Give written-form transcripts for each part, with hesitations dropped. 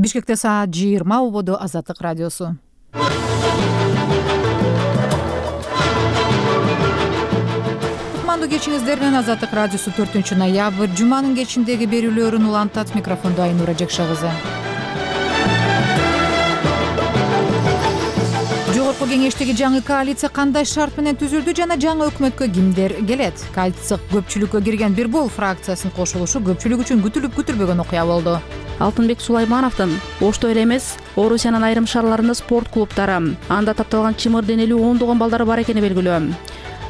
Бишкекте саат 20 убоду Азаттык радиосу. Кутмандуу кечиңиздер менен Азаттык радиосу 4-ноябрь жуманын кечиндеги берүүлөрүн улантат. Микрофондо Айнура Жекшагызы. Жогорку кеңештеги жаңы коалиция кандай шарт менен түзүлдү жана жаңы өкмөткө кимдер келет? Коалиция көпчүлүккө кирген бир бол фракциясынын кошулушу көпчүлүк үчүн күтүлүп күтүлбөгөн окуя болду. Алтынбек Сулаймановдун Ошто эле эмес, Орусиянын айрым шаарларында спорт клубтары, анда тапталган чымыр денелүү ондогон балдары бар экени белгилүү.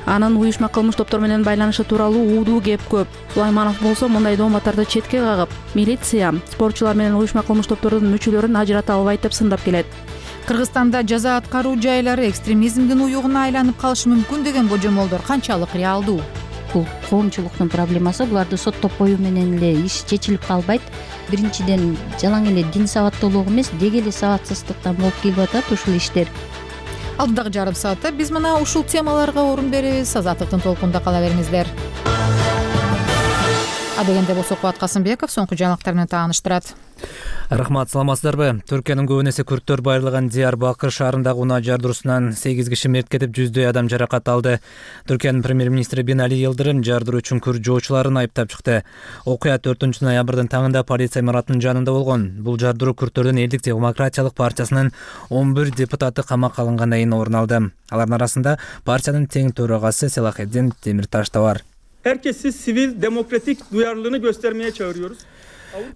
Анын уюшма кылмыш топтор менен байланышы тууралуу уудуу кеп көп. Сулайманов болсо мындай дооматтарды четке кагып, милиция спортчулар менен уюшма кылмыш топтордун мүчөлөрүн ажырата албайт деп сындап келет. Кыргызстанда жаза аткаруу жайлары экстремизмдин уюгуна айланып калышы мүмкүн деген божомолдор канчалык реалдуу? Бул коомчулуктун проблемасы, буларды соттоп коюу менен эле иш чечилип калбайт. Биринчиден жалаң эле дин сабаттуулук эмес, деги эле сабатсыздыктан болуп келип атат ушул иштер. Алдыдагы жарым саатта биз мына ушул темаларга орун беребиз. Азаттыктын толкунда кала бериңиздер. Адегенде болсо Кубат Касымбеков соңку жаңылыктар менен тааныштырат. Рахмат, саламатсыздарбы? Түркиянын көбүн эсе күрттөр байырлаган Диярбакыр шаарындагы унаа жардыруусунан 8 киши мерт кетип, жүздөй адам жаракат алды. Түркиянын премьер-министри Бинали Йылдырым жардыруу үчүн күрт жоочуларын айыптап чыкты. Окуя 4-ноябрдын таңында полиция имаратынын жанында болгон. Бул жардыруу күрттөрдүн Элдик демократиялык партиясынын 11 депутаты камакка алынгандан кийин орун алды. Алардын арасында партиянын тең төрагасы Селахеддин Темирташ да бар. Herkesi sivil demokratik duyarlılığını göstermeye çağırıyoruz.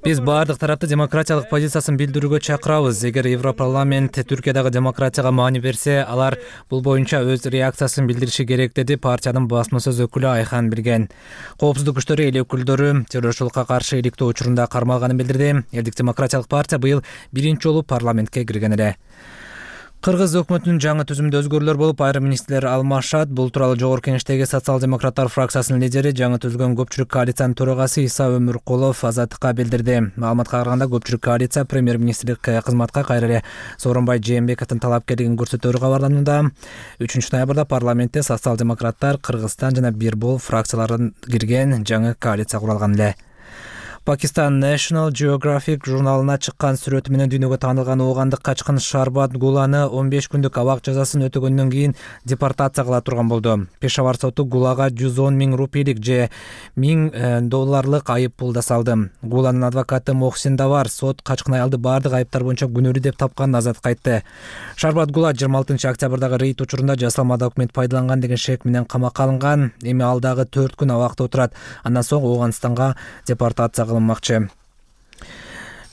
Биз баардык тарапты демократиялык позициясын билдирүүгө чакырабыз. Эгер Европарламент Түркиядагы демократияга маани берсе, алар бул боюнча өз реакциясын билдириши керек, деди партиянын басма сөз өкүлү Айхан Билген. Коопсуздук күчтөрү эл өкүлдөрү террорчулукка каршы иликтөө учурунда кармалганын билдирди. Элдик демократиялык партия быйыл биринчи жолу парламентке кирген эле. Кыргыз өкмөтүнүн жаңы түзүмдө өзгөрүүлөр болуп, айрым министрлер алмашат. Бул тууралуу Жогорку кеңештеги социал-демократтар фракциясынын лидери, жаңы түзүлгөн көпчүлүк коалициянын төрагасы Иса Өмүркулов Азаттыкка билдирди. Маалыматка караганда, көпчүлүк коалиция премьер-министрлик кызматка кайра эле Сооронбай Жээнбековдун талапкерлигин көрсөтөөрү кабарланууда. 3-ноябрда парламентте социал-демократтар, Кыргызстан жана бир бол фракциялардан кирген жаңы коалиция куралган эле. Pakistan National Geographic журналына чыккан сүрөтү менен дүйнөгө таанылган оогандык качкын Шарбат Гуланы 15 күндүк абак жазасын өтөгөндөн кийин депортация кыла турган болду. Пешавар соту Гулага 110 000 рупийлик же $1000 айып пул да салды. Гуланын адвокаты Мохсин Давар сот качкын аялды баардык айыптар боюнча күнөөлүү деп тапканын азат айтты. Шарбат Гула 26 октябрдагы рейд учурунда жасалма документ пайдаланган деген шек менен камакка алынган. Эми ал дагы 4 күн абакта отурат. Андан соң Ооганстанга депортация кылынмакчы.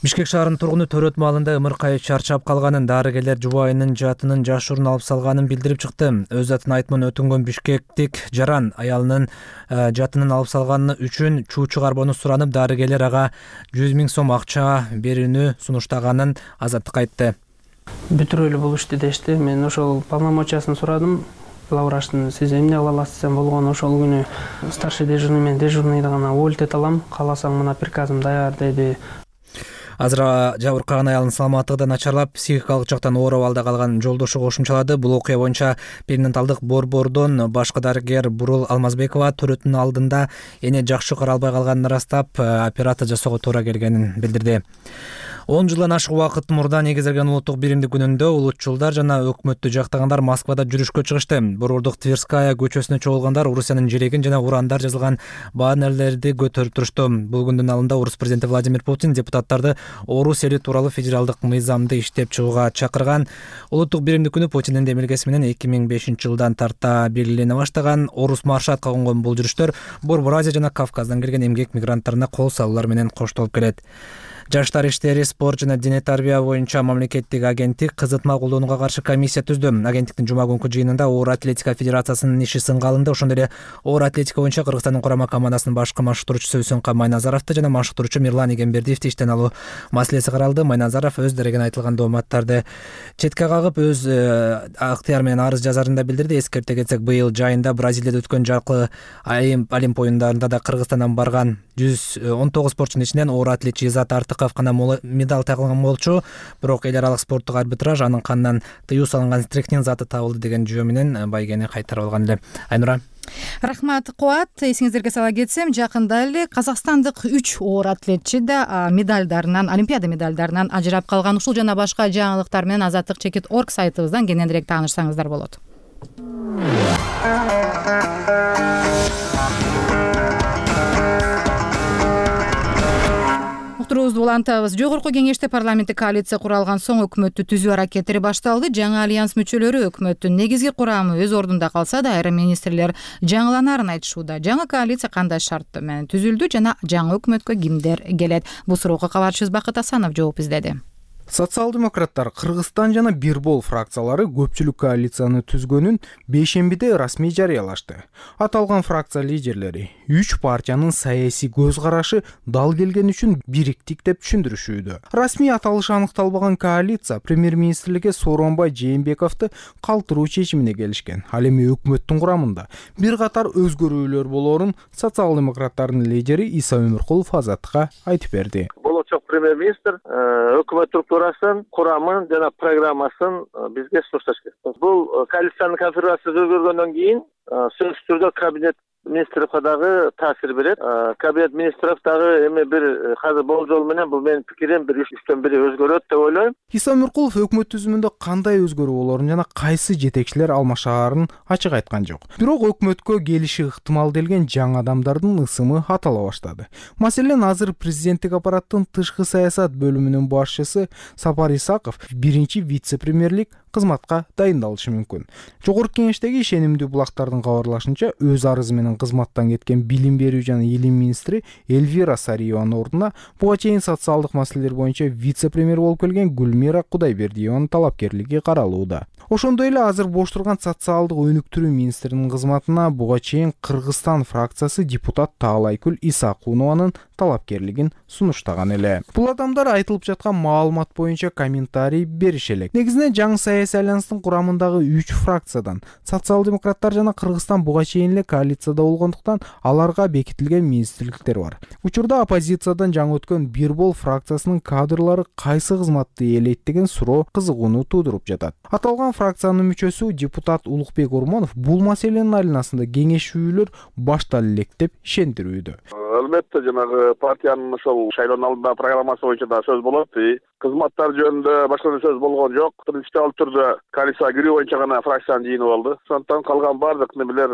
Бишкек шаарынын тургуну төрөт маалында ымыркай чарчап калганын, дарыгерлер жубайынын жатынын жашыруун алып салганын билдирип чыкты. Өз атын айтымын өтүнгөн бишкектик Жаран аялынын жатынын алып салганы үчүн чуу чыгарбоону суранып, дарыгерлер ага 100 000 сом акча берүүнү сунуштаганын Азаттыкка айтты. Бүтүрөлүү болушту дешти. Мен ошол полномочиясын сурадым. Главврачтын сиз эмне кыла аласыз болгону ошол күнү старший дежурный мен дежурныйды гана уволить алам, кааласаң мына приказым даяр деди. Азыр жабыркаган аялдын саламаттыгы да начарлап, психикалык жактан оор абалда калган жолдошу кошумчалады. Бул окуя боюнча перинаталдык борбордон башкы дарыгер Бурул Алмазбекова төрөттүн алдында эне жакшы кара албай калганын ырастап, операция жасоого туура келгенин билдирди. 10 жылдан ашык убакыт мурда негизделген улуттук биримдик күнүндө улутчулдар жана өкмөттү жактагандар Москвада жүрүшкө чыгышты. Борбордук Тверская көчөсүнө чогулгандар Орусиянын желегин жана урандар жазылган баннерлерди көтөрүп турушту. Бул күндүн алдында Орус президенти Владимир Путин депутаттарды Орус эли тууралуу федералдык мыйзамды иштеп чыгууга чакырган. Улуттук биримдик күнү Путиндин демилгеси менен 2005 жылдан тарта белгилене баштаган. Орус маршрутка конгон бул жүрүштөр Борбор Азия жана Кавказдан келген эмгек мигранттарына кол салуулар менен коштолуп келет. Жаштар иштери, спорт жана дене тарбия боюнча мамлекеттик агенттик кызытма колдонууга каршы комиссия түздү. Агенттиктин жума күнкү жыйынында Оор атлетика федерациясынын иши сынга алынды. Ошондой эле оор атлетика боюнча Кыргызстандын курама командасынын башкы машыктыруучусу Үсөнкан Майназаровду жана машыктыруучу Мирлан Игембердиевди иштен алуу маселеси каралды. Майназаров өз дарегине айтылган дооматтарды четке кагып, өз ыктыяры менен арыз жазарын да билдирди. Эскерте кетсек, быйыл жайында Бразилияда өткөн жалпы Олимп оюндарында да Кыргызстандан барган 119 спортчунун ичинен оор атлетчи Изат Артыков гана медаль тагылган болчу. Бирок эл аралык спорттук арбитраж анын канынан тыюу салынган стрихнин заты табылды деген жөө менен байгени кайтарып алган эле. Айнура. Рахмат Кубат. Эсиңиздерге сала кетсем, жакында эле казакстандык 3 оор атлетчи да олимпиада медальдарынан ажырап калган. Ушул жана башка жаңылыктар менен Азаттык.org сайтыбыздан кененирээк таанышсаңыздар болот. Уктуруубузду улантабыз. Жогорку кеңеште парламенттик коалиция куралган соң өкмөттү түзүү аракеттери башталды. Жаңы альянс мүчөлөрү өкмөттүн негизги курамы өз ордунда калса да, айрым министрлер жаңыланарын айтышууда. Жаңы коалиция кандай шарт менен түзүлдү жана жаңы өкмөткө кимдер келет? Бул суроого кабарчыбыз Бакыт Асанов жооп издеди. Социал-демократтар Кыргызстан жана Бирбол фракциялары көпчүлүк коалицияны түзгөнүн бейшембиде расмий жарыялашты. Аталган фракция лидерлери 3 партиянын саясий көз карашы дал келген үчүн бириктик деп түшүндүрүшүүдө. Расмий аталышы аныкталбаган коалиция премьер-министрликке Сооронбай Жээнбековду калтыруу чечимине келишкен. Ал эми өкмөттүн курамында бир катар өзгөрүүлөр болоорун социал-демократтардын лидери Иса Өмүркулов Азаттыкка айтып берди. Болочок премьер-министр өкмөт структурасын, курамын жана программасын бизге сурсаш керек. Бул коалициянын конфигурациясы өзгөргөндөн кийин сөзсүз түрдө кабинет министрликке дагы таасир берет. Кабинет министрлик дагы эми бир азыр болжол менен бул менин пикирим бир 3-төн 1 өзгөрөт деп ойлойм. Иса Өмүркулов өкмөт түзүмүндө кандай өзгөрүү болоорун жана кайсы жетекчилер алмашаарын ачык айткан жок. Бирок өкмөткө келиши ыктымал делген жаңы адамдардын ысымы атала баштады. Маселен, азыр президенттик аппараттын тышкы саясат бөлүмүнүн башчысы Сапар Исаков биринчи вице-премьерлик кызматка дайындалышы мүмкүн. Жогорку кеңештеги ишенимдүү булактардын кабарлашынча, өз арызы менен кызматтан кеткен билим берүү жана илим министри Эльвира Сариеванын ордуна буга чейин социалдык маселелер боюнча вице-премьер болуп келген Гүлмира Кудайбердиеванын талапкерлиги каралууда. Ошондой эле азыр бош турган социалдык өнүктүрүү министринин кызматына буга чейин Кыргызстан фракциясы депутат Таалайкүл Исакунованын талапкерлигин сунуштаган эле. Бул адамдар айтылып жаткан маалымат боюнча комментарий берише элек. Негизинен жаңы саясий альянстын курамындагы 3 фракциядан социал-демократтар жана Кыргызстан буга чейин эле коалицияда болгондуктан аларга бекитилген министрликтер бар. Учурда оппозициядан жаңы өткөн Бирбол фракциясынын кадрлары кайсы кызматты ээлейт деген суроо кызыгууну туудуруп жатат. Аталган фракциянын мүчөсү депутат Улукбек Урмонов бул маселенин айланасында кеңешүүлөр башталып элек деп ишендирүүдө. Албетте жанагы партиянын ошол шайлоонун алдындагы программасы боюнча да сөз болот. Кызматтар жөнүндө башка сөз болгон жок. Принципиалдуу түрдө коалицияга кирүү боюнча гана фракциянын жыйыны болду. Ошондон калган баардык немелер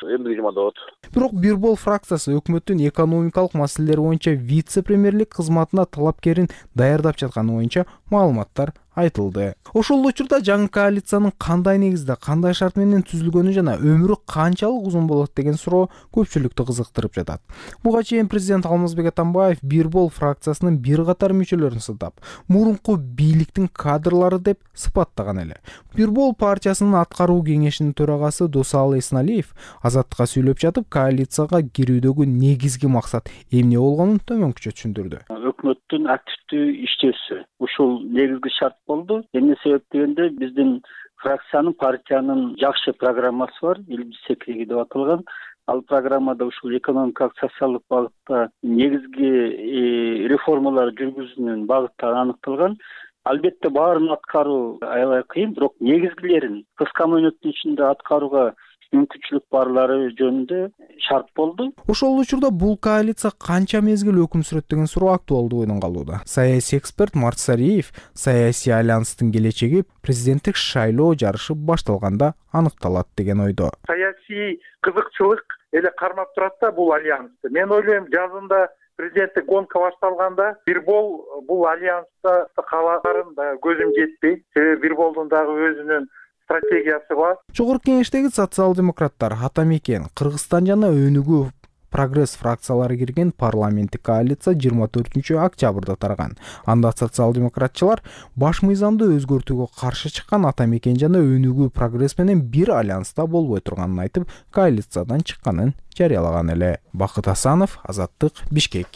эмдиги жумада болот. Бирок Бирбол фракциясы өкмөттүн экономикалык маселелер боюнча вице-премьерлик кызматына талапкерин даярдап жатканы боюнча маалыматтар айтылды. Ошол учурда жаңы коалициянын кандай негизде, кандай шарт менен түзүлгөнү жана өмүрү канчалык узун болот деген суроо көпчүлүктү кызыктырып жатат. Буга чейин президент Алмазбек Атамбаев Бирбол фракциясынын бир катар мүчөлөрүн сылтап, мурунку бийликтин кадрлары деп сыпаттаган эле. Бирбол партиясынын аткаруу кеңешинин төрагасы Досалы Эсналиев Азаттыкка сүйлөп жатып, коалицияга кирүүдөгү негизги максат эмне болгонун төмөнкүчө түшүндүрдү. Өкмөттүн активдүү иштөөсү ушул негизги шарт болду. Эмне себеп дегенде, биздин фракциянын, партиянын жакшы программасы бар, илимсиздиги деп аталган. Ал программада ушул экономикалык, социалдык багытта негизги реформалар жүргүзүүнүн багыттары аныкталган. Албетте баарын аткаруу аябай кыйын, бирок негизгилерин кыска мөөнөттүн ичинде аткарууга мүмкүнчүлүк барлары жөнүндө шарт болду. Ошол учурда бул коалиция канча мезгил өкүм сүрөт деген суроо актуалдуу ойдон калууда. Саясий эксперт Март Сариев саясий альянстын келечеги президенттик шайлоо жарышы башталганда аныкталат деген ойдо. Саясий кызыкчылык эле кармап турат да бул альянсты. Мен ойлойм, жазында президенттик гонка башталганда Бирбол бул альянста калаарын да көзүм жетпейт. Себеби Бирболдун дагы өзүнүн стратегиясы бар. Жогорку кеңештеги социал-демократтар Атамекен, Кыргызстан жана Өнүгүү Прогресс фракциялары кирген парламенттик коалиция 24 октябрда тарган. Анда социал-демократчылар баш мыйзамды өзгөртүүгө каршы чыккан Атамекен жана Өнүгүү Прогресс менен бир альянста болбой турганын айтып, коалициядан чыкканын жарыялаган эле. Бакыт Асанов, Азаттык, Бишкек.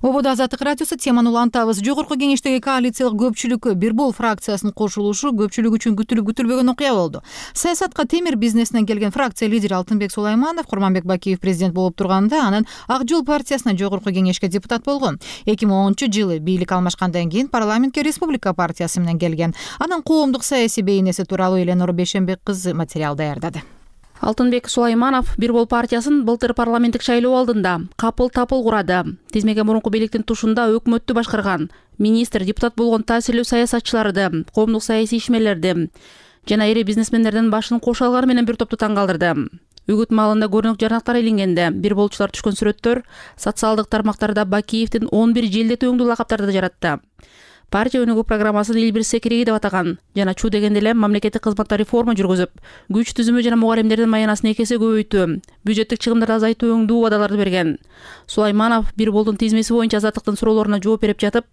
Ободо Азаттык радиосу теманы улантабыз. Жогорку кеңештеги коалициялык көпчүлүккө Бирбол фракциясынын кошулушу көпчүлүк үчүн күтүлүп-күтүлбөгөн окуя болду. Саясатка темир бизнесинен келген фракция лидери Алтынбек Сулайманов Курманбек Бакиев президент болуп турганда, анын Ак жол партиясынан жогорку кеңешке депутат болгон. 2010-жылы бийлик алмашкандан кийин парламентке Республика партиясы менен келген. Анын коомдук саясий бейнеси тууралуу Эленор Бейшембек кызы материал даярдады. Алтынбек Сулайманов Бир бол партиясын былтыр парламенттик шайлоо алдында капыл тапыл курады. Тизмеге мурунку бийликтин тушунда өкмөттү башкарган, министр, депутат болгон таасирлүү саясатчыларды, коомдук саясий ишмерлерди жана ири бизнесмендердин башын кошо алганы менен бир топту таң калтырды. Үгүт маалында көрүнүк жарнактар илингенде бир болчулар түшкөн сүрөттөр социалдык тармактарда Бакиевдин 11 желдетүү өңдүү лакаптарды жаратты. Партия өнүгүү программасын эл бир секиреги деп атаган жана чуу дегенде эле мамлекеттик кызматта реформа жүргүзүп, күч түзүмү жана мугалимдердин маянасын 2 эсе көбөйтүү, бюджеттик чыгымдарды азайтуу өңдүү убадаларды берген. Сулайманов Бир болдун тизмеси боюнча азаттыктын суроолоруна жооп берип жатып,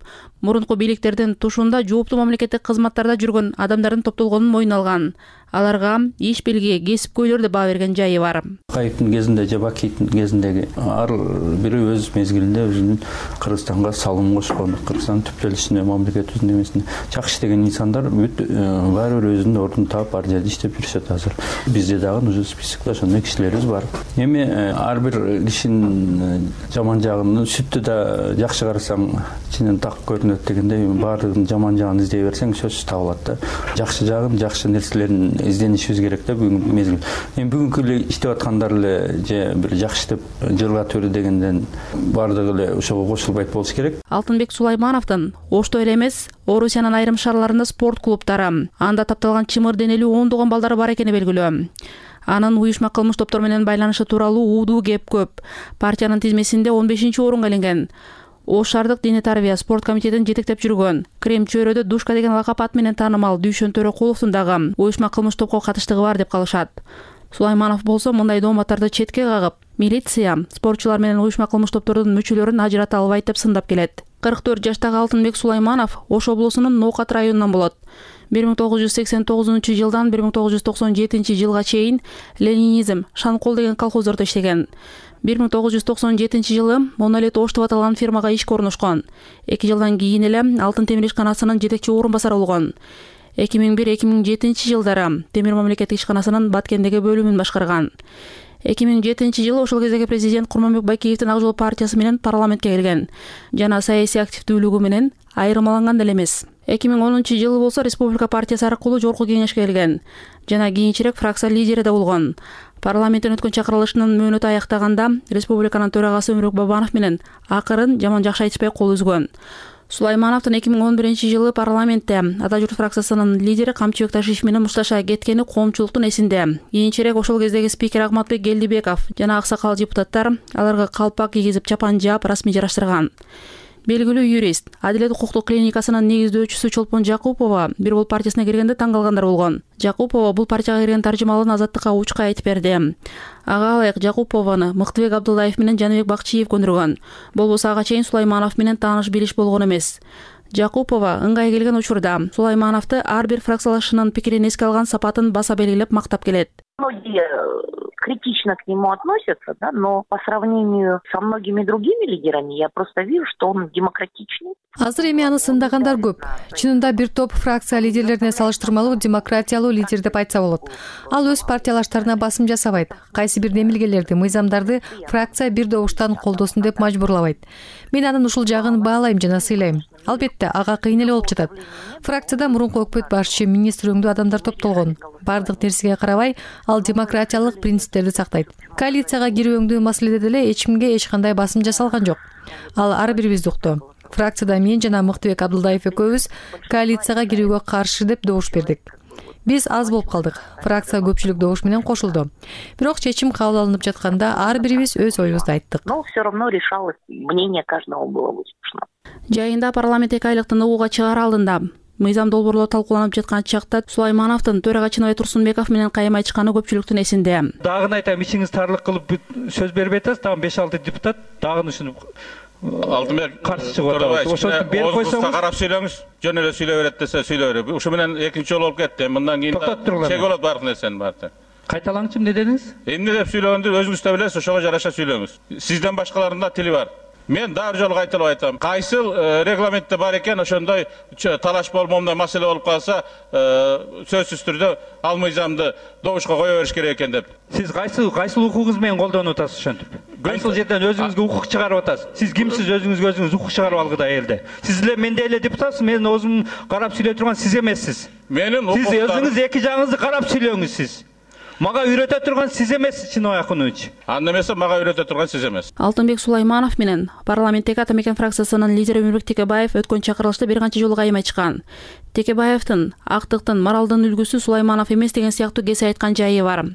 мурунку бийликтердин тушунда жооптуу мамлекеттик кызматтарда жүргөн адамдардын топтолгонун мойнуна алган. Аларга иш белги, кесипкөйлөр деп баа берген жайы бар. Кайыптын кезинде же Бакиевдин кезиндеги ар бири өз мезгилинде өзүнүн Кыргызстанга салым кошкон, Кыргызстан түптөлүшүнө, мамлекетибиздин эмесине жакшы деген инсандар бүт баары бир өзүнүн ордун таап ар жерде иштеп жүрүшөт азыр. Бизде дагы уже списокто ошондой кишилерибиз бар. Эми ар бир кишинин жаман жагын сүттү да жакшы карасаң ичинен так көрүнөт дегендей, баардыгынын жаман жагын издей берсең сөзсүз табылат да. Жакшы жагын, жакшы нерселерин изденишибиз керек да бүгүнкү мезгил. Эми бүгүнкү эле иштеп аткандар эле же бир жакшы деп жылга төрү дегенден баардыгы эле ошого кошулбайт болуш керек. Алтынбек Сулаймановдун Ошто эле эмес, Орусиянын айрым шаарларында спорт клубтары, анда тапталган чымыр денелүү ондогон балдар бар экени белгилүү. Анын уюшма кылмыш топтор менен байланышы тууралуу уудуу кеп көп. Партиянын тизмесинде 15-орунга илинген. Ош шаардык диний тарбия спорт комитетин жетектеп жүргөн, Крем чөйрөдө Душка деген лакап ат менен таанымал Дүйшөн Төрөкуловдун дагы уюшма кылмыш топко катыштыгы бар деп калышат. Сулайманов болсо мындай дооматтарды четке кагып, милиция спортчулар менен уюшма кылмыш топтордун мүчөлөрүн ажырата албайт деп сындап келет. 44 жаштагы Алтынбек Сулайманов Ош облусунун Ноокат районунан болот. 1989-жылдан 1997 чейин Ленинизм, Шанкол деген колхоздордо иштеген. 1997-жылы Монолит Ош деп аталган фирмага ишке орношкон. 2 жылдан кийин эле Алтын темир ишканасынын жетекчи орун басары болгон. 2001-2007 жылдары Темир мамлекеттик ишканасынын Баткендеги бөлүмүн башкарган. 2007-жылы ошол кездеги президент Курманбек Бакиевдин Ак жол партиясы менен парламентке келген жана саясий активдүүлүгү менен айырмаланган деле эмес. 2010-жылы болсо Республика партиясы аркылуу жогорку кеңешке келген жана кийинчерээк фракция лидери да болгон. Парламенттен өткөн чакырылышынын мөөнөтү аяктаганда республиканын төрагасы Өмүрбек Бабанов менен акырын жаман жакшы айтышпай кол үзгөн. Сулаймановдун 2011-жылы парламентте Ата журт фракциясынын лидери Камчыбек Ташиев менен мушташа кеткени коомчулуктун эсинде. Кийинчерээк ошол кездеги спикер Агматбек Келдибеков жана аксакал депутаттар аларга калпак кийгизип чапан жаап расмий жараштырган. Белгилүү юрист, Адилет укуктук клиникасынын негиздөөчүсү Чолпон Жакупова Бир бол партиясына киргенде таң калгандар болгон. Жакупова бул партияга кирген таржымалын Азаттыкка учка айтып берди. Ага ылайык Жакупованы Мыктыбек Абдуллаев менен Жаныбек Бакчиев көндүргөн. Болбосо ага чейин Сулайманов менен тааныш билиш болгон эмес. Жакупова ыңгай келген учурда Сулаймановду ар бир фракциялашынын пикирин эске алган сапатын баса белгилеп мактап келет. Многие критично к нему относятся, да, но по сравнению со многими другими лидерами я просто вижу, что он демократичный. Азыр эми аны сындаган көп. Чынында бир топ фракция лидерлерине салыштырмалуу демократиялуу лидер деп айтса болот. Ал өз партиялаштарына басым жасабайт. Кайсы бир демилгелерди, мыйзамдарды фракция бир добуштан колдосун деп мажбурлабайт. Мен анын ушул жагын баалайм жана сыйлайм. Албетте, ага кыйын эле болуп жатат. Фракцияда мурунку өкмөт башчы, министр өңдүү адамдар топтолгон. Бардык нерсеге карабай, ал демократиялык принциптерди сактайт. Коалицияга кирүү өңдүү маселеде деле эч кимге эч кандай басым жасалган жок. Ал ар бирибизди укту. Фракцияда мен жана Мыктыбек Абдулдаев экөөбүз коалицияга кирүүгө каршы деп добуш бердик. Биз аз болуп калдык. Фракция көпчүлүк добуш менен кошулду. Бирок чечим кабыл алынып жатканда ар бирибиз өз оюбузду айттык. Но все равно решалось, мнение каждого было выслушано. Жайында парламент 2 айлыктын угууга чыгары алдында мыйзам долбоорлор талкууланып жаткан чакта Сулаймановдун төрага Чыныбай Турсунбеков менен кайым айтышканы көпчүлүктүн эсинде. Дагы айтам, ичиңиз тарлык кылып сөз бербей атасыз, дагы 5-6 депутат дагы ушуну Алтынбек каршы чыгып атабыз. Ошону берип койсоңуз, карап сүйлөңүз. Жөн эле сүйлөй берет десе сүйлөй берет. Ушу менен экинчи жолу болуп кетти. Мындан кийин чек болот баардык нерсенин баары. Кайталаңчы, эмне дедиңиз? Эмне деп сүйлөгөндү өзүңүз да билесиз, ошого жараша сүйлөңүз. Сизден башкалардын да тили бар. Мен дагы жолу кайталап айтам. Кайсыл регламентте бар экен, ошондой талаш болмомдой маселе болуп калса, сөзсүз түрдө ал мыйзамды добушка кое бериш керек экен деп. Сиз кайсыл укугуңуз менен колдонуп атасыз ошентип? Кайсыл жерден өзүңүзгө укук чыгарып атасыз? Сиз кимсиз өзүңүзгө өзүңүз укук чыгарып алгыда элде? Сиз эле мендей эле депутатсыз, мен өзүм карап сүйлөй турган сиз эмессиз. Менин сиз өзүңүз эки жагыңызды карап сүйлөңүз сиз. Мага үйрөтө турган сиз эмес, Чыныбай Акунович. Анда эмесе мага үйрөтө турган сиз эмес. Алтынбек Сулайманов менен парламенттеги Атамекен фракциясынын лидери Өмүрбек Текебаев өткөн чакырылышта бир канча жолу кайым айтышкан. Текебаевдин актыктын, моралдын үлгүсү Сулайманов эмес деген сыяктуу кесе айткан жайы бар.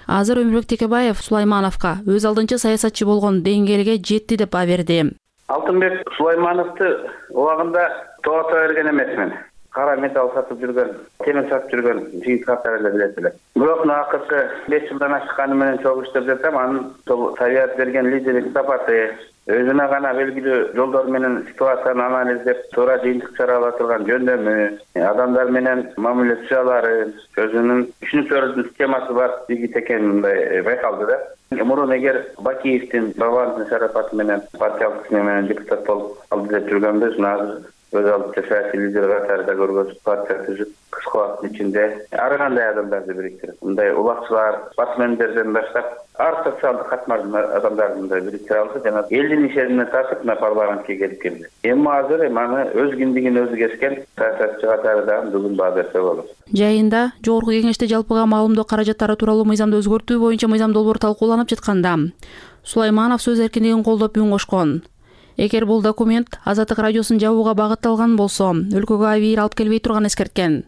Азыр Өмүрбек Текебаев Сулаймановго өз алдынча саясатчы болгон деңгээлге жетти деп баа берди. Алтынбек Сулаймановду убагында тоото берген эмесмин. Кара металл сатып жүргөн, темир сатып жүргөн жигит катары эле билет эле. Бирок акыркы 5 жылдан ашканы менен чогуу иштеп жатам. Анын Совет берген лидерлик сапаты, өзүнө гана белгилүү жолдор менен ситуацияны анализдеп, туура жыйынтык чыгара турган жөндөмү, адамдар менен мамиле түзүлөри, өзүнүн түшүнүк төрүнүн системасы бар жигит экени мындай байкалды да. Мурун эгер Бакиевдин Бабановдун шарапаты менен партиялык исми менен депутат болуп алды деп жүргөнбүз, азыр өз алдынча саясий лидер катарында көргөзүп партия түзүп кыска убакыттын ичинде ар кандай адамдарды бириктирип, мындай улакчылар, батмендерден баштап ар социалдык катмардын адамдарын бириктире алды жана элдин ишенимине тартып парламентке келип келди. Эми азыр аны өз кимдигин өзү кескен саясатчы катарында бүгүн баа берсе болот. Жайында Жогорку Кеңеште жалпыга маалымдоо каражаттары тууралуу мыйзамды өзгөртүү боюнча мыйзам долбоор талкууланып жатканда Сулайманов сөз эркиндигин колдоп үн кошкон. Эгер бул документ Азаттык радиосун жабууга багытталган болсо, өлкөгө абийир алып келбей турганын эскерткен.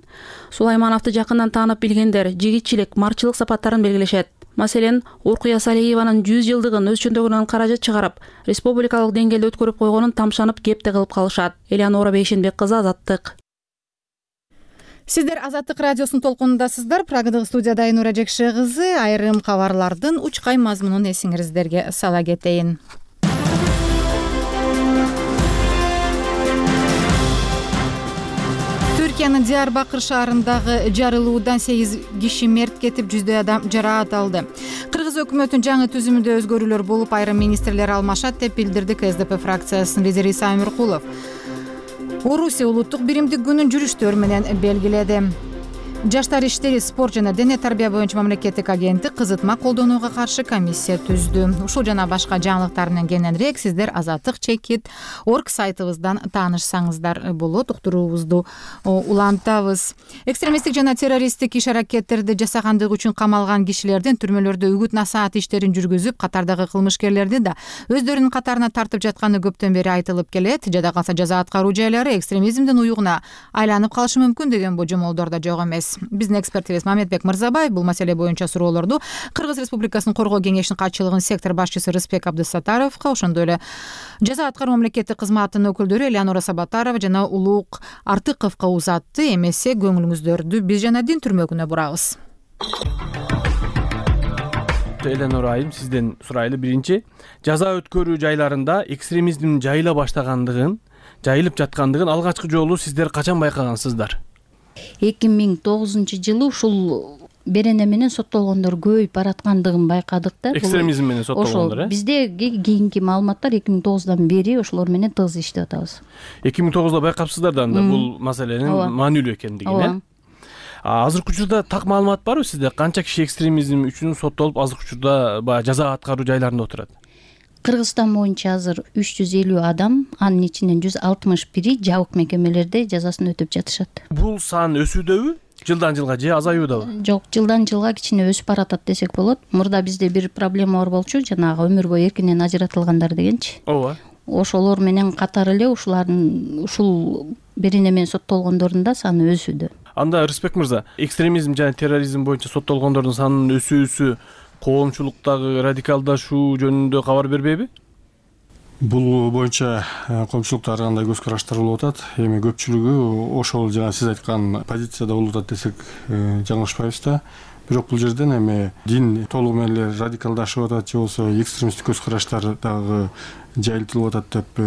Сулаймановду жакындан таанып билгендер жигитчилик, марчылык сапаттарын белгилешет. Маселен, Уркуя Салиеванын 100 жылдыгын өз чөндөгүнөн каражат чыгарып, республикалык деңгээлде өткөрүп койгонун тамшанып кепте кылып калышат. Элеонора Бейшенбек кызы, Азаттык. Сиздер Азаттык радиосунун толкунундасыздар. Прагадагы студияда Айнура Жекше кызы. Айрым кабарлардын учкай мазмунун эсиңиздерге сала кетейин. Түркиянын Диярбакыр шаарындагы жарылуудан 8 киши мерт кетип, 100 адам жараат алды. Кыргыз өкмөтүнүн жаңы түзүмүндө өзгөрүүлөр болуп, айрым министрлер алмашат деп билдирди КСДП фракциясынын лидери Иса Өмүркулов. Орусия улуттук биримдик күнүн жүрүштөр менен белгиледи. Жаштар иштери, спорт жана дене тарбия боюнча мамлекеттик агенттик кызытма колдонууга каршы комиссия түздү. Ушул жана башка жаңылыктар менен кененирээк сиздер Azattik.org сайтыбыздан таанышсаңыздар болот. Уктуруубузду улантабыз. Экстремисттик жана террористтик иш-аракеттерди жасагандыгы үчүн камалган кишилердин түрмөлөрдө үгүт-насаат иштерин жүргүзүп, катардагы кылмышкерлерди да өздөрүнүн катарына тартып жатканы көптөн бери айтылып келет. Жада калса жаза аткаруу жайлары экстремизмдин уюгуна айланып калышы мүмкүн деген божомолдор да жок эмес. Биздин экспертибиз Мамедбек Мырзабаев бул маселе боюнча суроолорду Кыргыз Республикасынын коргоо кеңешинин катчылыгынын сектор башчысы Рыспек Абдысаттаровго, ошондой эле жаза аткаруу мамлекеттик кызматынын өкүлдөрү Элеонора Сабатарова жана Улук Артыковго узатты. Эмесе көңүлүңүздөрдү биз жана дин түрмөгүнө бурабыз. Элеонора айым, сизден сурайлы. Биринчи, жаза өткөрүү жайларында экстремизмдин жайыла баштагандыгын, жайылып жаткандыгын алгачкы жолу сиздер качан байкагансыздар? 2009 жылы ушул берене менен соттолгондор көбөйүп бараткандыгын байкадык да. Экстремизм менен соттолгондор, Бизде кийинки маалыматтар 2009 бери ошолор менен тыгыз иштеп атабыз. 2009 байкапсыздар да анда бул маселенин маанилүү экендигин, Азыркы учурда так маалымат барбы сизде? Канча киши экстремизм үчүн соттолуп, азыркы учурда баягы жаза аткаруу жайларында отурат? Кыргызстан боюнча азыр 350 адам, анын ичинен 161 жабык мекемелерде жазасын өтөп жатышат. Бул сан өсүүдөбү? Жылдан жылга же азаюудабы? Жок, жылдан жылга кичине өсүп баратат десек болот. Мурда бизде бир проблема бар болчу, жанагы өмүр бою эркинен ажыратылгандар дегенчи. Ооба. Ошолор менен катары эле ушул берене менен соттолгондордун да саны өсүүдө. Анда Рыспек мырза, экстремизм жана терроризм боюнча соттолгондордун санынын өсүүсү коомчулуктагы радикалдашуу жөнүндө кабар бербейби? Бул боюнча коомчулукта ар кандай көз караштар болуп атат. Эми көпчүлүгү ошол жана сиз айткан позицияда болуп атат десек жаңылышпайбыз да. Бирок бул жерден эми дин толугу менен эле радикалдашып атат же болбосо экстремисттик көз караштар дагы жайылтылып атат деп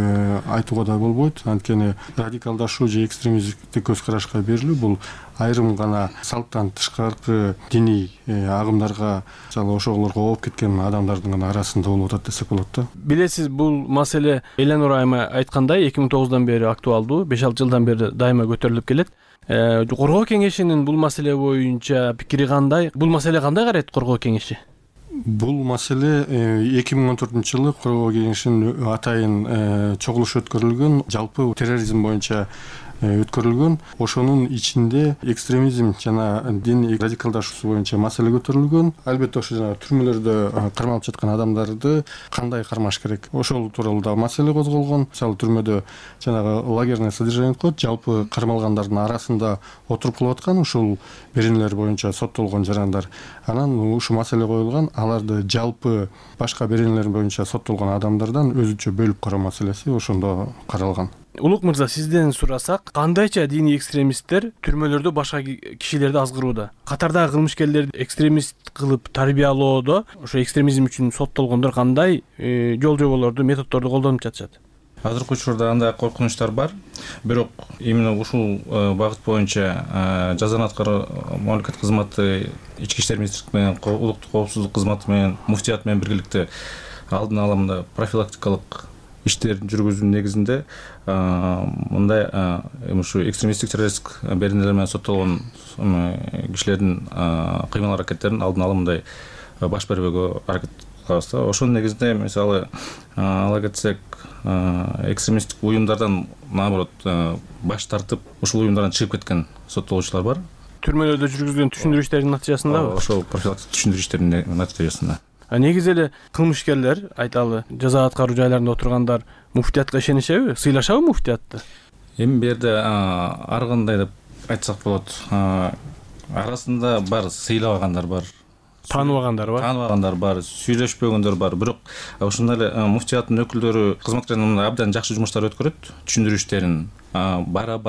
айтууга да болбойт. Анткени радикалдашуу же экстремисттик көз карашка берилүү бул айрым гана салттан тышкаркы диний агымдарга жана ошолорго ооп кеткен адамдардын гана арасында болуп атат десек болот да. Билесиз, бул маселе Элеонора айым айткандай 2009 бери актуалдуу, 5-6 жылдан бери дайыма көтөрүлүп келет. Коргоо кеңешинин бул маселе боюнча пикири кандай? Бул маселе кандай карайт коргоо кеңеши? Бул маселе 2014 жылы коргоо кеңешинин атайын чогулушу өткөрүлгөн. Жалпы терроризм боюнча өткөрүлгөн. Ошонун ичинде экстремизм жана дин радикалдашуусу боюнча маселе көтөрүлгөн. Албетте ошо жана түрмөлөрдө кармалып жаткан адамдарды кандай кармаш керек, ошол тууралуу да маселе козголгон. Мисалы түрмөдө жанагы лагерное содержание деп коет, жалпы кармалгандардын арасында отуруп калып аткан ушул беренелер боюнча соттолгон жарандар. Анан ушул маселе коюлган, аларды жалпы башка беренелер боюнча соттолгон адамдардан өзүнчө бөлүп кароо маселеси ошондо каралган. Улук мырза, сизден сурасак, кандайча диний экстремисттер түрмөлөрдө башка кишилерди азгырууда? Катардагы кылмышкерлерди экстремист кылып тарбиялоодо ошо экстремизм үчүн соттолгондор кандай жол жоболорду, методдорду колдонуп жатышат? Азыркы учурда андай коркунучтар бар. Бирок именно ушул багыт боюнча жазаны аткаруу мамлекет кызматы, ички иштер министрлиги менен улуттук коопсуздук кызматы менен муфтият менен биргеликте алдын ала мындай профилактикалык иштерин жүргүзүүнүн негизинде мындай ушу экстремисттик террористтик беренелер менен соттолгон кишилердин кыймыл аракеттерин алдын ала мындай баш бербөөгө аракет кылабыз да. Ошонун негизинде мисалы ала кетсек, экстремисттик уюмдардан наоборот баш тартып ушул уюмдардан чыгып кеткен соттолуучулар бар. Түрмөлөрдө жүргүзгөн түшүндүрүү иштеринин натыйжасындабы? Ошол профилактик түшүндүрүү иштеринин натыйжасында. Негизи эле кылмышкерлер, айталы, жаза аткаруу жайларында отургандар муфтиятка ишенишеби? Сыйлашабы муфтиятты? Эми бу жерде ар кандай деп айтсак болот. Арасында бар сыйлабагандар бар, тааныбагандар бар. Тааныбагандар бар, сүйлөшпөгөндөр бар. Бирок ошондой эле муфтияттын өкүлдөрү кызматкерлерин абдан жакшы жумуштар өткөрөт, түшүндүрүү иштерин. Бара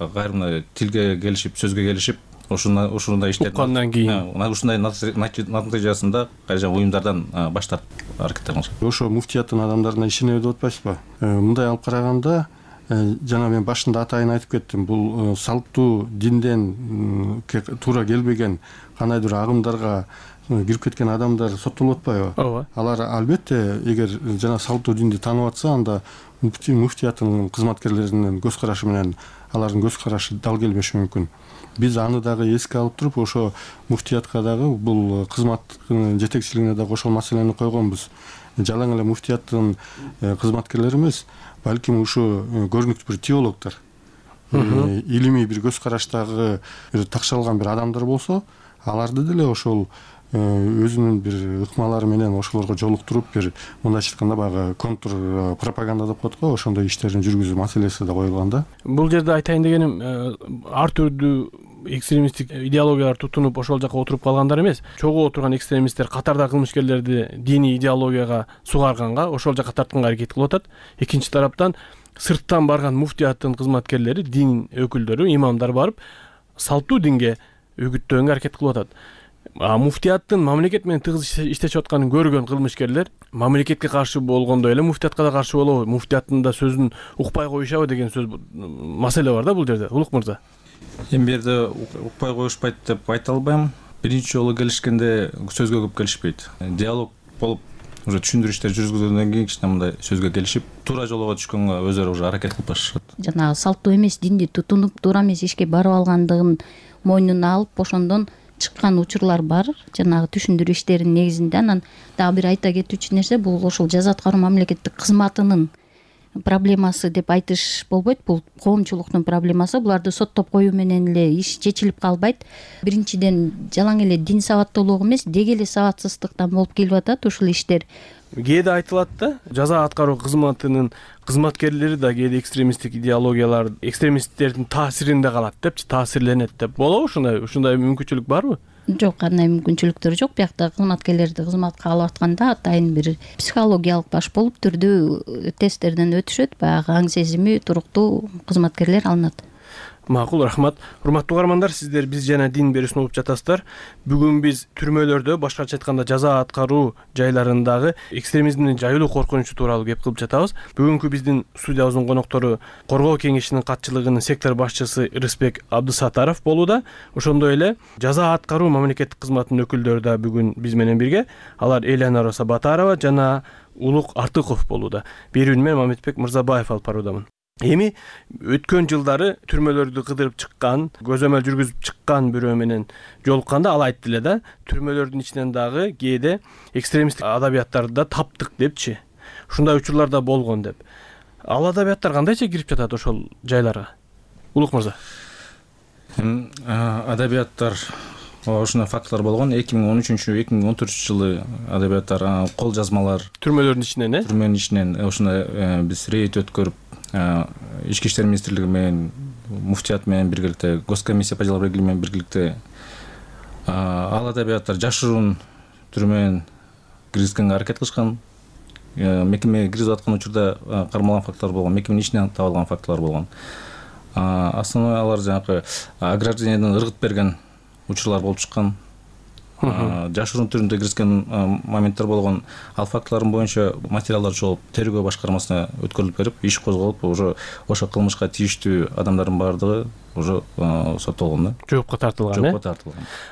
кайрымда тилге келишип, сөзгө келишип, ушундай иштерди уккандан кийин ушундай натыйжасында кайжан уюмдардан баш тартып аракеттер кылышат. Ошо муфтияттын адамдарына ишенеби деп атпайсызбы? Мындай алып караганда, жана мен башында атайын айтып кеттим, бул салттуу динден туура келбеген кандайдыр агымдарга кирип кеткен адамдар соттолуп атпайбы? Ооба. Алар албетте эгер жана салттуу динди таанып атса, анда муфтияттын кызматкерлеринин көз карашы менен алардын көз карашы дал келбеши мүмкүн. Биз аны дагы эске алып туруп, ошо муфтиятка дагы бул кызматтын жетекчилигине дагы ошол маселени койгонбуз. Жалаң эле муфтияттын кызматкерлери эмес, балким ушу көрүнүктүү бир теологдор, илимий бир көз караштагы бир такшалган бир адамдар болсо, аларды деле ошол өзүнүн бир ыкмалары менен ошолорго жолуктуруп, бир мындайча айтканда баягы контр пропаганда деп коет го, ошондой иштерин жүргүзүү маселеси да коюлган да. Бул жерде айтайын дегеним, ар түрдүү экстремисттик идеологиялар тутунуп ошол жака отуруп калгандар эмес, чогуу отурган экстремисттер катардагы кылмышкерлерди диний идеологияга сугарганга, ошол жака тартканга аракет кылып атат. Экинчи тараптан сырттан барган муфтияттын кызматкерлери, дин өкүлдөрү, имамдар барып салттуу динге үгүттөгөнгө аракет кылып атат. Муфтияттын мамлекет менен тыгыз иштешип атканын көргөн кылмышкерлер мамлекетке каршы болгондой эле муфтиятка да каршы болобу, муфтияттын да сөзүн укпай коюшабы деген сөз маселе бар да бул жерде. Улук мырза, Эми бу жерде укпай коюшпайт деп айта албайм. Биринчи жолу келишкенде сөзгө көп келишпейт. Диалог болуп, уже түшүндүрүү иштер жүргүзгөндөн кийин кичине мындай сөзгө келишип, туура жолго түшкөнгө өзүлөрү уже аракет кылып башышат. Жанагы салттуу эмес динди тутунуп, туура эмес ишке барып алгандыгын мойнуна алып, ошондон чыккан учурлар бар. Жанагы түшүндүрүү иштеринин негизинде. Анан дагы бир айта кетүүчү нерсе, бул ошол жаза аткаруу мамлекеттик кызматынын проблемасы деп айтыш болбойт. Бул коомчулуктун проблемасы. Буларды соттоп коюу менен эле иш чечилип калбайт. Биринчиден жалаң эле дин сабаттуулугу эмес, деги эле сабатсыздыктан болуп келип атат ушул иштер. Кээде айтылат да, жаза аткаруу кызматынын кызматкерлери да кээде экстремисттик идеологиялар, экстремисттердин таасиринде калат депчи, таасирленет деп. Болобу ушундай мүмкүнчүлүк барбы? Жок, кандай мүмкүнчүлүктөр жок. Биякта кызматкерлерди кызматка алып атканда атайын бир психологиялык баш болуп түрдүү тесттерден өтүшөт. Баягы аң сезими туруктуу кызматкерлер алынат. Макул, рахмат. Урматтуу угармандар, сиздер биз жана дин берүүсүн угуп жатасыздар. Бүгүн биз түрмөлөрдө, башкача айтканда жаза аткаруу жайларындагы экстремизмдин жайылуу коркунучу тууралуу кеп кылып жатабыз. Бүгүнкү биздин студиябыздын коноктору Коргоо кеңешинин катчылыгынын сектор башчысы Рысбек Абдысатаров болууда. Ошондой эле жаза аткаруу мамлекеттик кызматынын өкүлдөрү да бүгүн биз менен бирге. Алар Элянара Сабатарова жана Улук Артыков болууда. Берүүнү мен Мамедбек Мырзабаев алып баруудамын. Эми өткөн жылдары түрмөлөрдү кыдырып чыккан, көзөмөл жүргүзүп чыккан бирөө менен жолукканда ал айтты эле да, түрмөлөрдүн ичинен дагы кээде экстремисттик адабияттарды да таптык депчи. Ушундай учурлар да болгон деп. Ал адабияттар кандайча кирип жатат ошол жайларга? Улук мырза. Адабияттар ушундай фактылар болгон. 2013-2014 адабияттар, кол жазмалар Түрмөлөрдүн ичинен, түрмөнүн ичинен ушундай биз рейд өткөрүп, Ички иштер министрлиги менен, муфтият менен биргеликте, Госкомиссия по делам религии менен биргеликте ал адабияттар жашыруун түрмөнүн киргизгенге аракет кылышкан. Мекемеге киргизип аткан учурда кармалган фактылар болгон, мекеменин ичинен табылган фактылар болгон. Основной алар жанагы ограждениеден ыргыт берген учурлар болуп чыккан. Жашыруун түрүндө киргизген моменттер болгон. Ал фактылардын боюнча материалдар чогулуп, тергөө башкармасына өткөрүлүп берип, иш козголуп, уже ошо кылмышка тийиштүү адамдардын баардыгы уже соттолгон, жоопко тартылган.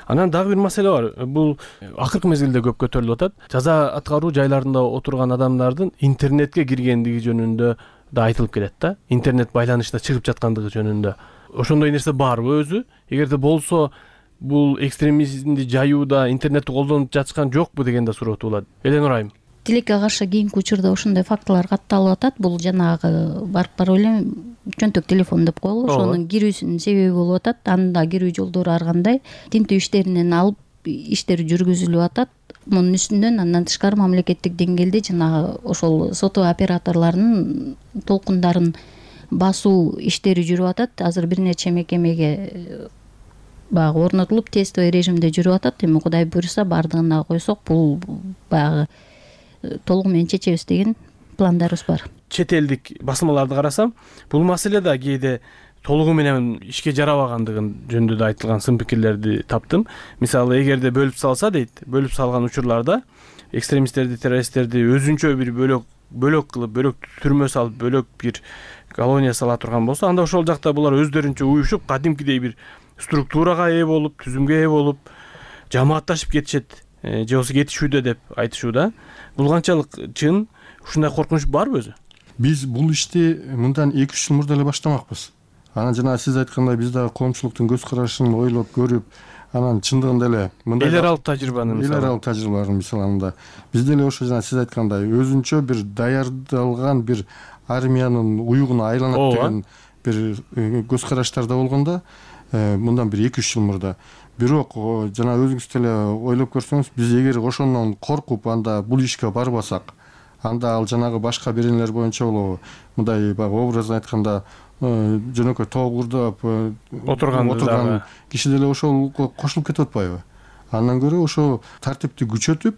Анан дагы бир маселе бар. Бул акыркы мезгилде көп көтөрүлүп атат. Жаза аткаруу жайларында отурган адамдардын интернетке киргендиги жөнүндө да айтылып келет да. Интернет байланышта чыгып жаткандыгы жөнүндө. Ошондой нерсе барбы өзү? Эгерде болсо, бул экстремизмди жаюуда интернетти колдонуп жатышкан жокпу деген да суроо туулат. Эленур айым. Тилекке каршы кийинки учурда ошондой фактылар катталып атат. Бул жанагы барып эле чөнтөк телефон деп коелу, ошонун кирүүсүнүн себеби болуп атат. Анын да кирүү жолдору ар кандай. Тинтүү иштеринен алып иштер жүргүзүлүп атат. Мунун үстүнөн андан тышкары мамлекеттик деңгээлде жанагы ошол сотоо операторлорунун толкундарын басуу иштери жүрүп атат. Азыр бир нече мекемеге баягы орнотулуп, тестовый режимде жүрүп атат. Эми Кудай буйруса бардыгына койсок, бул баягы толугу менен чечебиз деген пландарыбыз бар. Чет элдик басылмаларды карасам, бул маселе да кээде толугу менен ишке жарабагандыгын жөнүндө да айтылган сын пикирлерди таптым. Мисалы, эгерде бөлүп салса дейт, бөлүп салган учурларда экстремисттерди, террористтерди өзүнчө бир бөлөк кылып, бөлөк түрмө салып, бөлөк бир колония сала турган болсо, анда ошол жакта булар өздөрүнчө уюшуп, кадимкидей бир структурага ээ болуп, түзүмгө ээ болуп, жамаатташып кетишет, же болбосо кетишүүдө деп айтышууда. Бул канчалык чын? Ушундай коркунуч барбы өзү? Биз бул ишти мындан 2-3 жыл мурда эле баштамакпыз. Анан жана сиз айткандай биз дагы коомчулуктун көз карашын ойлоп көрүп, анан чындыгында эле мындай эл аралык тажрыйбанын мисалында биз деле ошо жана сиз айткандай өзүнчө бир даярдалган бир армиянын уюгуна айланат деген бир көз караштарда болгондо мындан бир 2-3 жыл мурда. Бирок жана өзүңүз деле ойлоп көрсөңүз, биз эгер ошондон коркуп анда бул ишке барбасак, анда ал жанагы башка беренелер боюнча болобу, мындай баягы образын айтканда жөнөкөй тоогурдап отурган киши деле ошол кошулуп кетип атпайбы? Андан көрө ошо тартипти күчөтүп,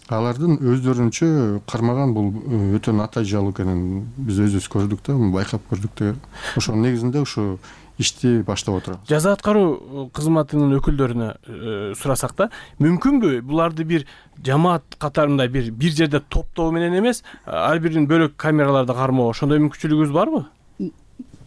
алардын өздөрүнчө кармаган бул өтө натыйжалуу экенин биз өзүбүз көрдүк да, байкап көрдүк да. Ошонун негизинде ушу ишти баштап отурабыз. Жаза аткаруу кызматынын өкүлдөрүнө сурасак да, мүмкүнбү буларды бир жамаат катарында бир жерде топтоо менен эмес, ар бирин бөлөк камераларда кармоо, ошондой мүмкүнчүлүгүбүз барбы?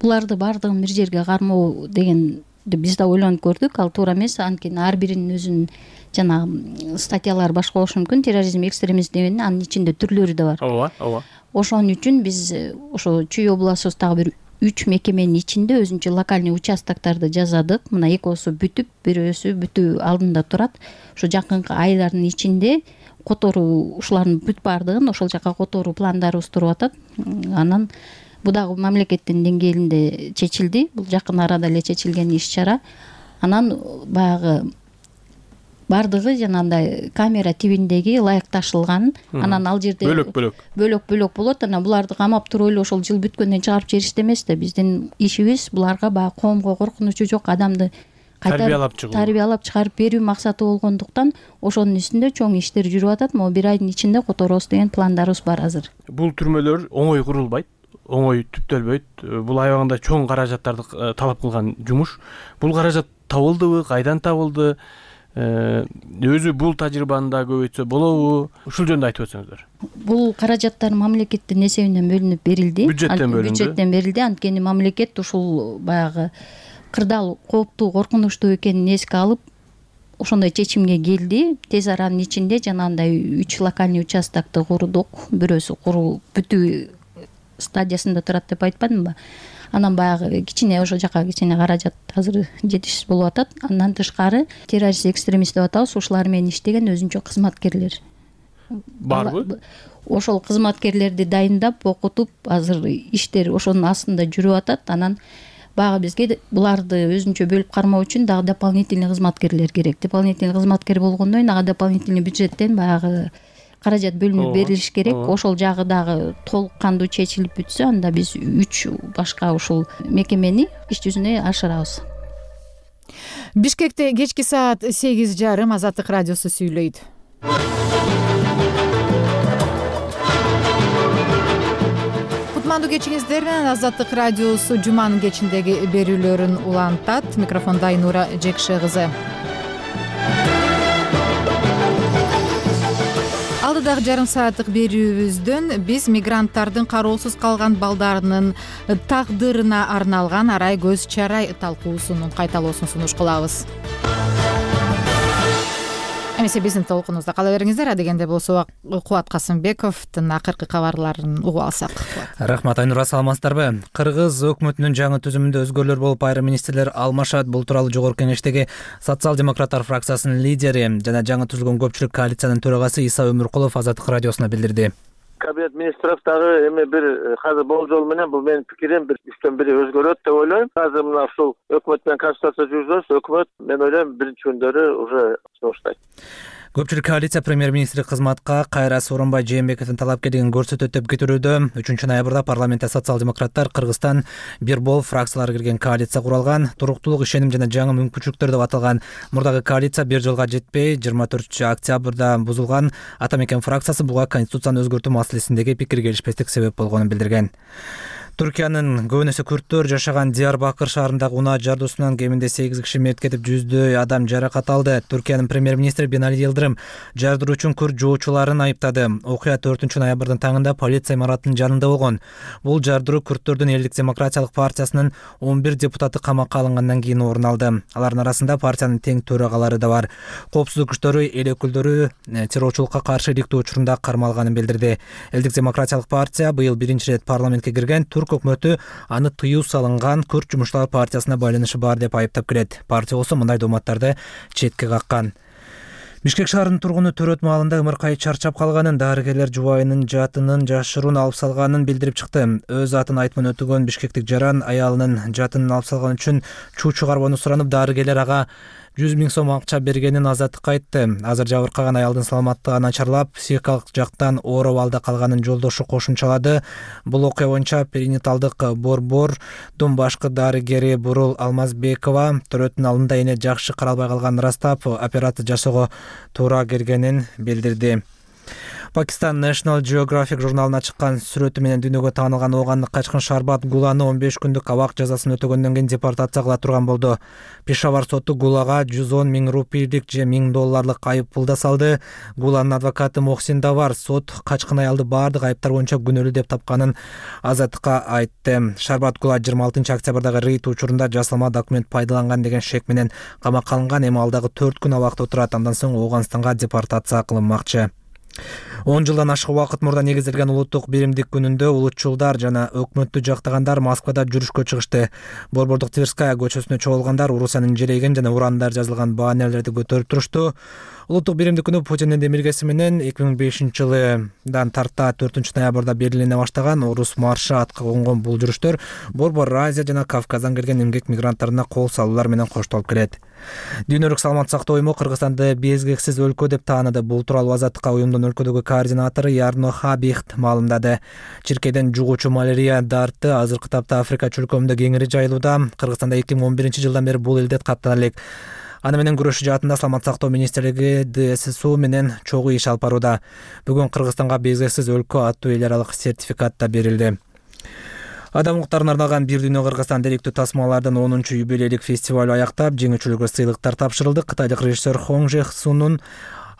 Буларды бардыгын бир жерге кармоо дегенди биз да ойлонуп көрдүк, ал туура эмес. Анткени ар биринин өзүнүн жанагы статьялары башка болушу мүмкүн. Терроризм, экстремизм дегенде анын ичинде түрлөрү да бар. Ооба. Ошон үчүн биз ошо Чүй областыбыз дагы бир 3 мекеменин ичинде өзүнчө локальный участокторду жасадык. Мына экөөсү бүтүп, бирөөсү бүтүү алдында турат. Ошо жакынкы айлардын ичинде которуу ушулардын бүт бардыгын ошол жака которуу пландарыбыз туруп атат. Анан бул дагы мамлекеттин деңгээлинде чечилди. Бул жакын арада эле чечилген иш-чара. Анан баягы бардыгы жанагындай камера тибиндеги ылайыкташылган. Анан ал жерде бөлөк болот. Анан буларды камап туруп эле ошол жыл бүткөндөн чыгарып жиберишти эмес да. Биздин ишибиз буларга баягы коомго коркунучу жок адамды тарбиялап чыгарып берүү максаты болгондуктан ошонун үстүндө чоң иштер жүрүп атат. Могу бир айдын ичинде которобуз деген пландарыбыз бар азыр. Бул түрмөлөр оңой курулбайт, оңой түптөлбөйт. Бул аябагында чоң каражаттарды талап кылган жумуш. Бул каражат табылдыбы, кайдан табылды? Өзү бул тажрыйбаны да көбөйтсө болобу? Ушул жөнүндө айтып өтсөңүздөр. Бул каражаттар мамлекеттин эсебинен бөлүнүп берилди. Бюджеттен берилди. Анткени мамлекет ушул баягы кырдаал кооптуу, коркунучтуу экенин эске алып, ошондой чечимге келди. Тез аранын ичинде жанагындай 3 локальный участокты курдук. Бирөөсү куруу бүтүү стадиясында турат деп айтпадымбы? Анан баягы кичине ошол жака кичине каражат азыр жетишсиз болуп атат. Андан тышкары террорист, экстремист деп атабыз, ушулар менен иштеген өзүнчө кызматкерлер барбы? Ошол кызматкерлерди дайындап, окутуп, азыр иштер ошонун астында жүрүп атат. Анан баягы бизге буларды өзүнчө бөлүп кармоо үчүн дагы дополнительный кызматкерлер керек. Дополнительный кызматкер болгондон кийин ага дополнительный бюджеттен баягы каражат бөлүнүп берилиш керек. Ошол жагы дагы толук кандуу чечилип бүтсө, анда биз 3 башка ушул мекемени иш жүзүнө ашырабыз. Бишкекте кечки саат 8:30 Азаттык радиосу сүйлөйт. Кутмандуу кечиңиздер менен Азаттык радиосу жуманын кечиндеги берүүлөрүн улантат. Микрофондо Айнура Жекше кызы. Алдыдагы жарым сааттык берүүбүздөн биз мигранттардын кароосуз калган балдарынын тагдырына арналган арай көз чарай талкуусунун кайталоосун сунуш кылабыз. Эмесе биздин толкунубузда кала бериңиздер. Адегенде болсо Кубат Касымбековдун акыркы кабарларын угуп алсак. Рахмат Айнура, саламатсыздарбы? Кыргыз өкмөтүнүн жаңы түзүмүндө өзгөрүүлөр болуп, айрым министрлер алмашат. Бул тууралуу Жогорку Кеңештеги социал-демократтар фракциясынын лидери жана жаңы түзүлгөн көпчүлүк коалициянын төрагасы Иса Өмүркулов Азаттык радиосуна билдирди. Кабинет министров дагы эми бир азыр болжол менен бул менин пикирим бир үчтөн бири өзгөрөт деп ойлойм. Азыр мына ушул өкмөт менен консультация жүргүзөбүз. Өкмөт мен ойлойм биринчи күндөрү уже сунуштайт. Көпчүлүк коалиция премьер-министри кызматка Кайра Сооронбай Жээнбековдун талапкерлигин көрсөтөт деп күтүлүүдө. 3-ноябрда парламентте социал-демократтар Кыргызстан бир бол фракциялар кирген коалиция куралган. Туруктуулук, ишеним жана жаңы мүмкүнчүлүктөр деп аталган мурдагы коалиция 1 жылга жетпей 24-октябрда бузулган. Ата мекен фракциясы буга конституцияны өзгөртүү маселесиндеги пикир келишпестик себеп болгонун билдирген. Түркиянын көбүнөсү күрттөр жашаган Диярбакыр шаарындагы унаа жардуусунан кеминде 8 киши мерт кетип, жүздөй адам жаракат алды. Түркиянын премьер-министри Бинали Йылдырым жардыруу үчүн күрт жоочуларын айыптады. Окуя 4-ноябрдын таңында полиция имаратынын жанында болгон. Бул жардыруу күрттөрдүн Элдик демократиялык партиясынын 11 депутаты камакка алынгандан кийин орун алды. Алардын арасында партиянын тең төрагалары да бар. Коопсуздук күчтөрү эл өкүлдөрү террорчулукка каршы иликтөө учурунда кармалганын билдирди. Элдик демократиялык партия быйыл биринчи ирет парламентке кирген. Түрк өкмөтү аны тыюу салынган Күрт жумушчулар партиясына байланышы бар деп айыптап келет. Партия болсо мындай дооматтарды четке каккан. Бишкек шаарынын тургуну төрөт маалында ымыркай чарчап калганын, дарыгерлер жубайынын жатынын жашыруун алып салганын билдирип чыкты. Өз атын айтмын өтүгөн бишкектик жаран аялынын жатынын алып салган үчүн чуу чыгарбоону суранып, дарыгерлер ага 100 000 сом акча бергенин Азаттыкка айтты. Азыр жабыркаган аялдын саламаттыгы начарлап, психикалык жактан оор абалда калганын жолдошу кошумчалады. Бул окуя боюнча перинаталдык борбордун башкы дарыгери Бурул Алмазбекова төрөттүн алдында эне жакшы каралбай калганын ырастап, операция жасоого туура келгенин билдирди. Пакистан National Geographic журналына чыккан сүрөтү менен дүйнөгө таанылган оогандык качкын Шарбат Гуланы 15 күндүк абак жазасын өтөгөндөн кийин депортация кыла турган болду. Пешавар соту Гулага 110 000 рупийлик же $1000 айып пул да салды. Гуланын адвокаты Мохсин Давар сот качкын аялды баардык айыптар боюнча күнөөлүү деп тапканын Азаттыкка айтты. Шарбат Гула 26 октябрдагы рейд учурунда жасалма документ пайдаланган деген шек менен камакка алынган. Эми алдагы 4 күн абакта отурат. Андан соң Ооганстанга депортация кылынмакчы. 10 жылдан ашык убакыт мурда негизделген улуттук биримдик күнүндө улутчулдар жана өкмөттү жактагандар Москвада жүрүшкө чыгышты. Борбордук Тверская көчөсүнө чогулгандар Орусиянын желейген жана урандар жазылган баннерлерди көтөрүп турушту. Улуттук биримдик күнү Путиндин демилгеси менен 2005-жылдан тарта 4-ноябрда Берлинден баштаган Орус маршы атка конгон бул жүрүштөр Борбор Азия жана Кавказдан келген эмгек мигранттарына кол салуулар менен коштолуп келет. Дүйнөлүк саламат сактоо уюму Кыргызстанды безгексиз өлкө деп тааныды. Бул тууралуу Азаттыкка уюмдун өлкөдөгү координатору Ярно Хабихт маалымдады. Чиркейден жугуучу малярия дарты азыркы тапта Африка чөлкөмүндө кеңири жайылууда. Кыргызстанда 2011-жылдан бери бул илдет каттана элек. Аны менен күрөшүү жаатында саламат сактоо министрлиги ДССУ менен чогуу иш алып барууда. Бүгүн Кыргызстанга безгексиз өлкө аттуу эл аралык сертификат да берилди. Адам укуктарына арналган Бир дүйнө Кыргызстан деректүү тасмалардын 10-юбилейлик фестивалю аяктап, жеңүүчүлөргө сыйлыктар тапшырылды. Кытайлык режиссер Хон Жех Сунун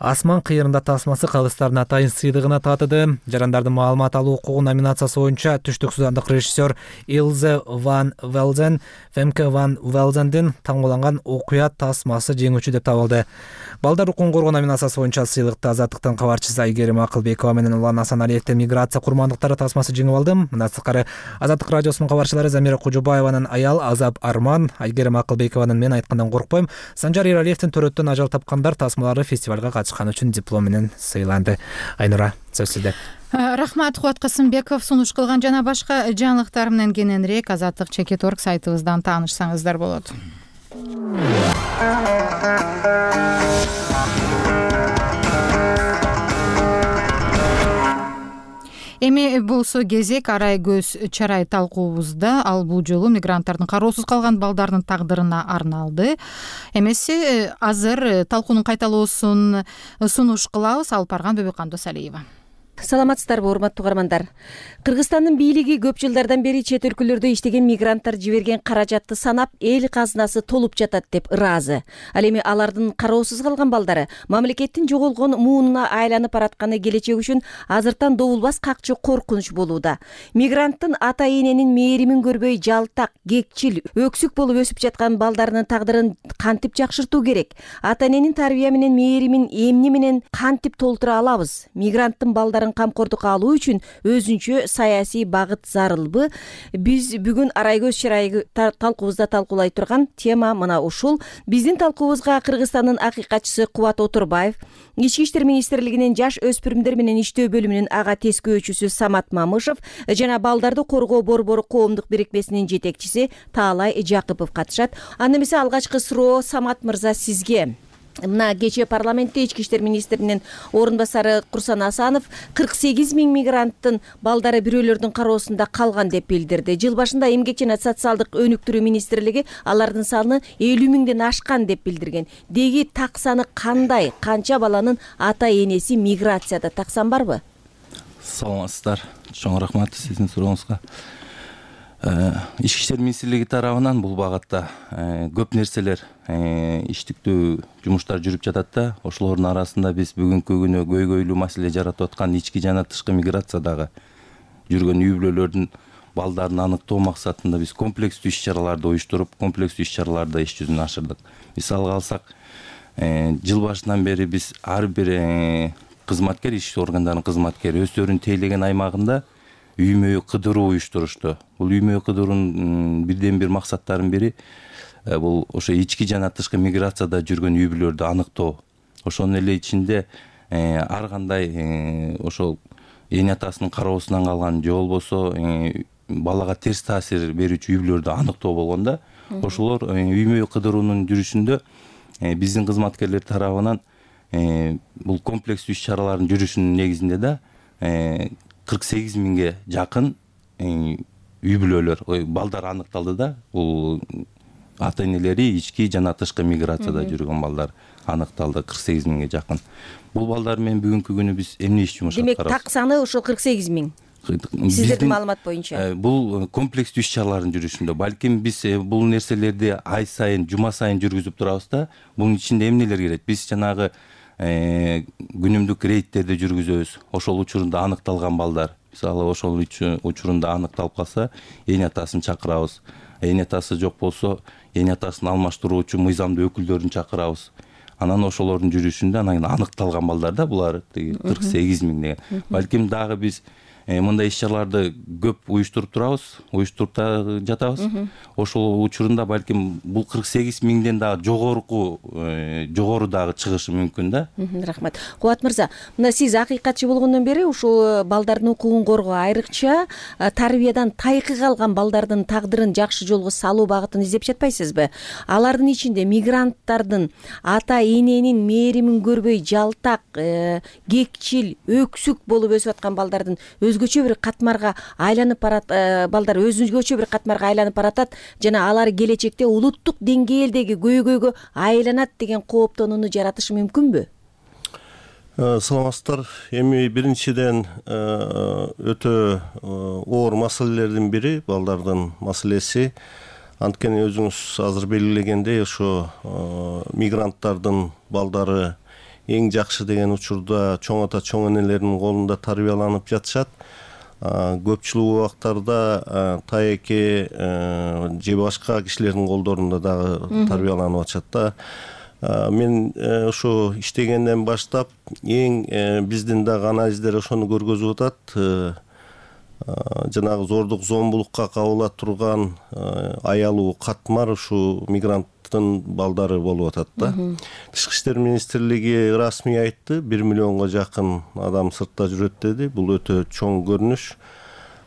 Асман кыйырында тасмасы калыстардын атайын сыйлыгына татыды. Жарандардын маалымат алуу укугу номинациясы боюнча түштүк судандык режиссер Илзе Ван Велзен, Фемке Ван Велзендин таңголанган окуя тасмасы жеңүүчү деп табылды. Балдар укугун коргоо номинациясы боюнча сыйлыкты Азаттыктын кабарчысы Айгерим Акылбекова менен Улан Асаналиевдин миграция курмандыктары тасмасы жеңип алды. Мындан сырткары Азаттык радиосунун кабарчылары Замира Кужубаеванын аял Азап Арман, Айгерим Акылбекованын мен айткандан коркпойм, Санжар Иралиевдин төрөттөн ажал тапкандар тасмалары фестивалга катышкан үчүн диплом менен сыйланды. Айнура, сөз сизде. Рахмат, Кубат Касымбеков. Сунуш кылган жана башка жаңылыктар менен кененирээк Азаттык Чекит.org сайтыбыздан таанышсаңыздар болот. Эми болсо кезек арай көз чарай талкуубузда. Ал бул жолу мигранттардын кароосуз калган балдардын тагдырына арналды. Эмеси азыр талкуунун кайталоосун сунуш кылабыз. Алып барган Бөбөкан Досалиева. Саламатсыздарбы, урматтуу угармандар. Кыргызстандын бийлиги көп жылдардан бери чет өлкөлөрдө иштеген мигранттар жиберген каражатты санап, эл казынасы толуп жатат деп ыраазы. Ал эми алардын кароосуз калган балдары мамлекеттин жоголгон муунуна айланып баратканы келечек үчүн азыртан добулбас какчы коркунуч болууда. Мигранттын ата-эненин мээримин көрбөй жалтак, кекчил, өксүк болуп өсүп жаткан балдарынын тагдырын кантип жакшыртуу керек? Ата-эненин тарбия менен мээримин эмне менен кантип толтура алабыз? Мигранттын балдарын камкордукка алуу үчүн өзүнчө саясий багыт зарылбы? Биз бүгүн арай көз чарай талкуубузда талкуулай турган тема мына ушул. Биздин талкуубузга Кыргызстандын акыйкатчысы Кубат Отурбаев, Ички иштер министрлигинин жаш өспүрүмдөр менен иштөө бөлүмүнүн ага тескөөчүсү Самат Мамышев жана балдарды коргоо борбору коомдук бирикмесинин жетекчиси Таалай Жакыпов катышат. Анда эмесе алгачкы суроо Самат мырза сизге. Мына кечээ парламентте ички иштер министринин орун басары Курсан Асанов 48 миң мигранттын балдары бирөөлөрдүн кароосунда калган деп билдирди. Жыл башында эмгек жана социалдык өнүктүрүү министрлиги алардын саны 50 миңден ашкан деп билдирген. Деги так саны кандай? Канча баланын ата-энеси миграцияда? Таксан барбы? Саламатсыздар. Чоң рахмат сиздин сурооңузга. Ички иштер министрлиги тарабынан бул багытта көп нерселер иштиктүү жумуштар жүрүп жатат да. Ошолордун арасында биз бүгүнкү күнү көйгөйлүү маселе жаратып аткан ички жана тышкы миграциядагы жүргөн үй бүлөлөрдүн балдарын аныктоо максатында биз комплекстүү иш-чараларды уюштуруп, комплекстүү иш-чараларды иш жүзүнө ашырдык. Мисалга алсак, жыл башынан бери биз ар бир кызматкер, ички органдардын кызматкери өздөрүнүн тейлеген аймагында үймө кыдыруу уюштурушту. Бул үймө кыдыруунун бирден бир максаттарынын бири бул ошо ички жана тышкы миграцияда жүргөн үй бүлөлөрдү аныктоо. Ошонун эле ичинде ар кандай ошол эне атасынын кароосунан калган же болбосо балага терс таасир берүүчү үй бүлөлөрдү аныктоо болгондо, ошолор үймө кыдыруунун жүрүшүндө биздин кызматкерлер тарабынан бул комплекстүү иш-чаралардын жүрүшүнүн негизинде да 48 миңге жакын үй бүлөлөр, балдар аныкталды да. Бул ата-энелери ички жана тышкы миграцияда жүргөн балдар аныкталды 48 миңге жакын. Бул балдар менен бүгүнкү күнү биз эмне иш жумуш аткарабыз? Демек, так саны ошо 48 миң. Сиздердин маалымат боюнча. Бул комплекстүү иш-чаралардын жүрүшүндө. Балким биз бул нерселерди ай сайын, жума сайын жүргүзүп турабыз да. Бунун ичинде эмнелер кирет? Биз жанагы күнүмдүк рейдтерди жүргүзөбүз. Ошол учурунда аныкталган балдар, мисалы ошол учурунда аныкталып калса, эне атасын чакырабыз. Эне атасы жок болсо, эне атасын алмаштыруучу мыйзамдуу өкүлдөрүн чакырабыз. Анан ошолордун жүрүшүндө анан аныкталган балдар да булар 48 миң деген. Балким дагы биз мындай иш-чараларды көп уюштуруп турабыз, уюштуруп жатабыз. Ошол учурунда балким бул 48 миңден дагы жогору дагы чыгышы мүмкүн да. Рахмат. Кубат мырза, мына сиз акыйкатчы болгондон бери ушул балдардын укугун коргоо, айрыкча тарбиядан тайкы калган балдардын тагдырын жакшы жолго салуу багытын издеп жатпайсызбы? Алардын ичинде мигранттардын ата-эненин мээримин көрбөй жалтак, кекчил, өксүк болуп өсүп аткан балдардын өзгөчө бир катмарга айланып барат, балдар өзгөчө бир катмарга айланып баратат жана алар келечекте улуттук деңгээлдеги көйгөйгө айланат деген кооптонууну жаратышы мүмкүнбү? Саламатсыздар. Эми биринчиден өтө оор маселелердин бири балдардын маселеси. Анткени өзүңүз азыр белгилегендей, ошо мигранттардын балдары эң жакшы деген учурда чоң ата чоң энелердин колунда тарбияланып жатышат. Көпчүлүк убактарда тайеке же башка кишилердин колдорунда дагы тарбияланып атышат да. Мен ошо иштегенден баштап эң биздин дагы анализдер ошону көргөзүп атат. жанагы зордук зомбулукка кабыла турган аялуу катмар ушул мигранттын балдары болуп атат да. Тышкы иштер министрлиги расмий айтты, 1 миллионго жакын адам сыртта жүрөт деди. Бул өтө чоң көрүнүш.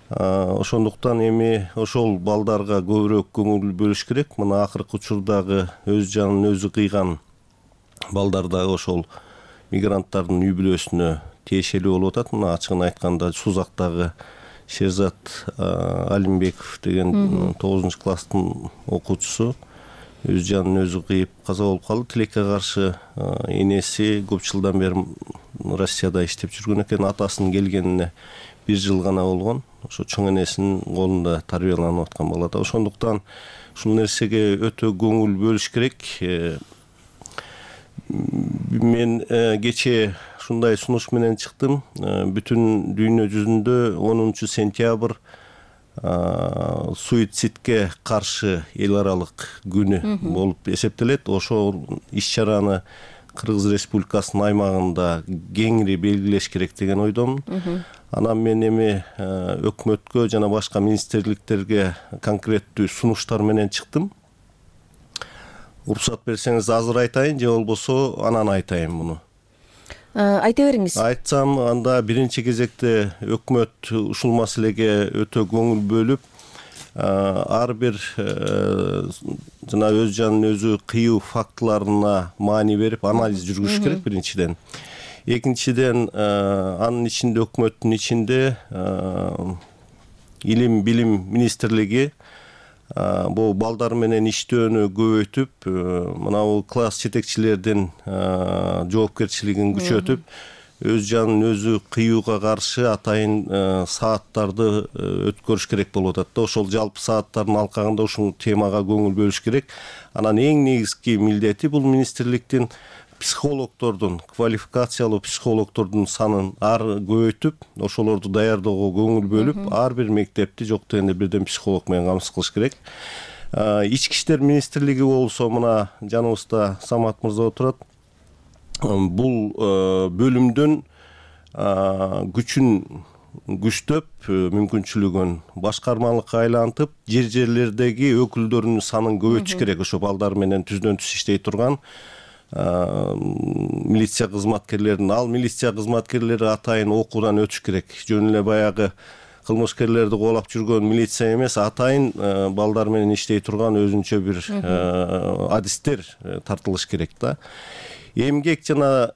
Ошондуктан эми ошол балдарга көбүрөөк көңүл бөлүш керек. Мына акыркы учурдагы өз жанын өзү кыйган балдар дагы ошол мигранттардын үй бүлөсүнө тиешелүү болуп атат. Мына ачыгын айтканда Сузактагы Шерзат Алимбеков деген 9-класстын окуучусу өз жанын өзү кыйып каза болуп калды. Тилекке каршы энеси көп жылдан бери Россияда иштеп жүргөн экен. Атасынын келгенине 1 жыл гана болгон. Ошо чоң энесинин колунда тарбияланып аткан бала да. Ошондуктан ушул нерсеге өтө көңүл бөлүш керек. Мен кечээ ушундай сунуш менен чыктым. Бүтүн дүйнө жүзүндө 10 сентябрь суицидке каршы эл аралык күнү болуп эсептелет. Ошол иш-чараны Кыргыз Республикасынын аймагында кеңири белгилеш керек деген ойдомун. Анан мен эми өкмөткө жана башка министрликтерге конкреттүү сунуштар менен чыктым. Уруксат берсеңиз азыр айтайын, же болбосо анан айтайын муну. Айта бериңиз. Айтсам, анда биринчи кезекте өкмөт ушул маселеге өтө көңүл бөлүп, ар бир жана өз жанын өзү кыйуу фактыларына маани берип анализ жүргүзүш керек биринчиден. Экинчиден, анын ичинде өкмөттүн ичинде илим билим министрлиги бул балдар менен иштөөнү көбөйтүп, мына бул класс жетекчилердин жоопкерчилигин күчөтүп, өз жанын өзү кыюуга каршы атайын сааттарды өткөрүш керек болуп атат да. Ошол жалпы сааттардын алкагында ушул темага көңүл бөлүш керек. Анан эң негизги милдети бул министрликтин психологдордун, квалификациялуу психологдордун санын көбөйтүп, ошолорду даярдоого көңүл бөлүп, ар бир мектепти жок дегенде бирден психолог менен камсыз кылыш керек. Ички иштер министрлиги болсо, мына жаныбызда Самат мырза отурат. Бул бөлүмдүн күчүн күчтөп, мүмкүнчүлүгүн башкармалыкка айлантып, жерлердеги өкүлдөрүнүн санын көбөйтүш керек. Ошо балдар менен түздөн түз иштей турган милиция кызматкерлерин, ал милиция кызматкерлери атайын окуудан өтүш керек. Жөн эле баягы кылмышкерлерди кубалап жүргөн милиция эмес, атайын балдар менен иштей турган өзүнчө бир адистер тартылыш керек да. Эмгек жана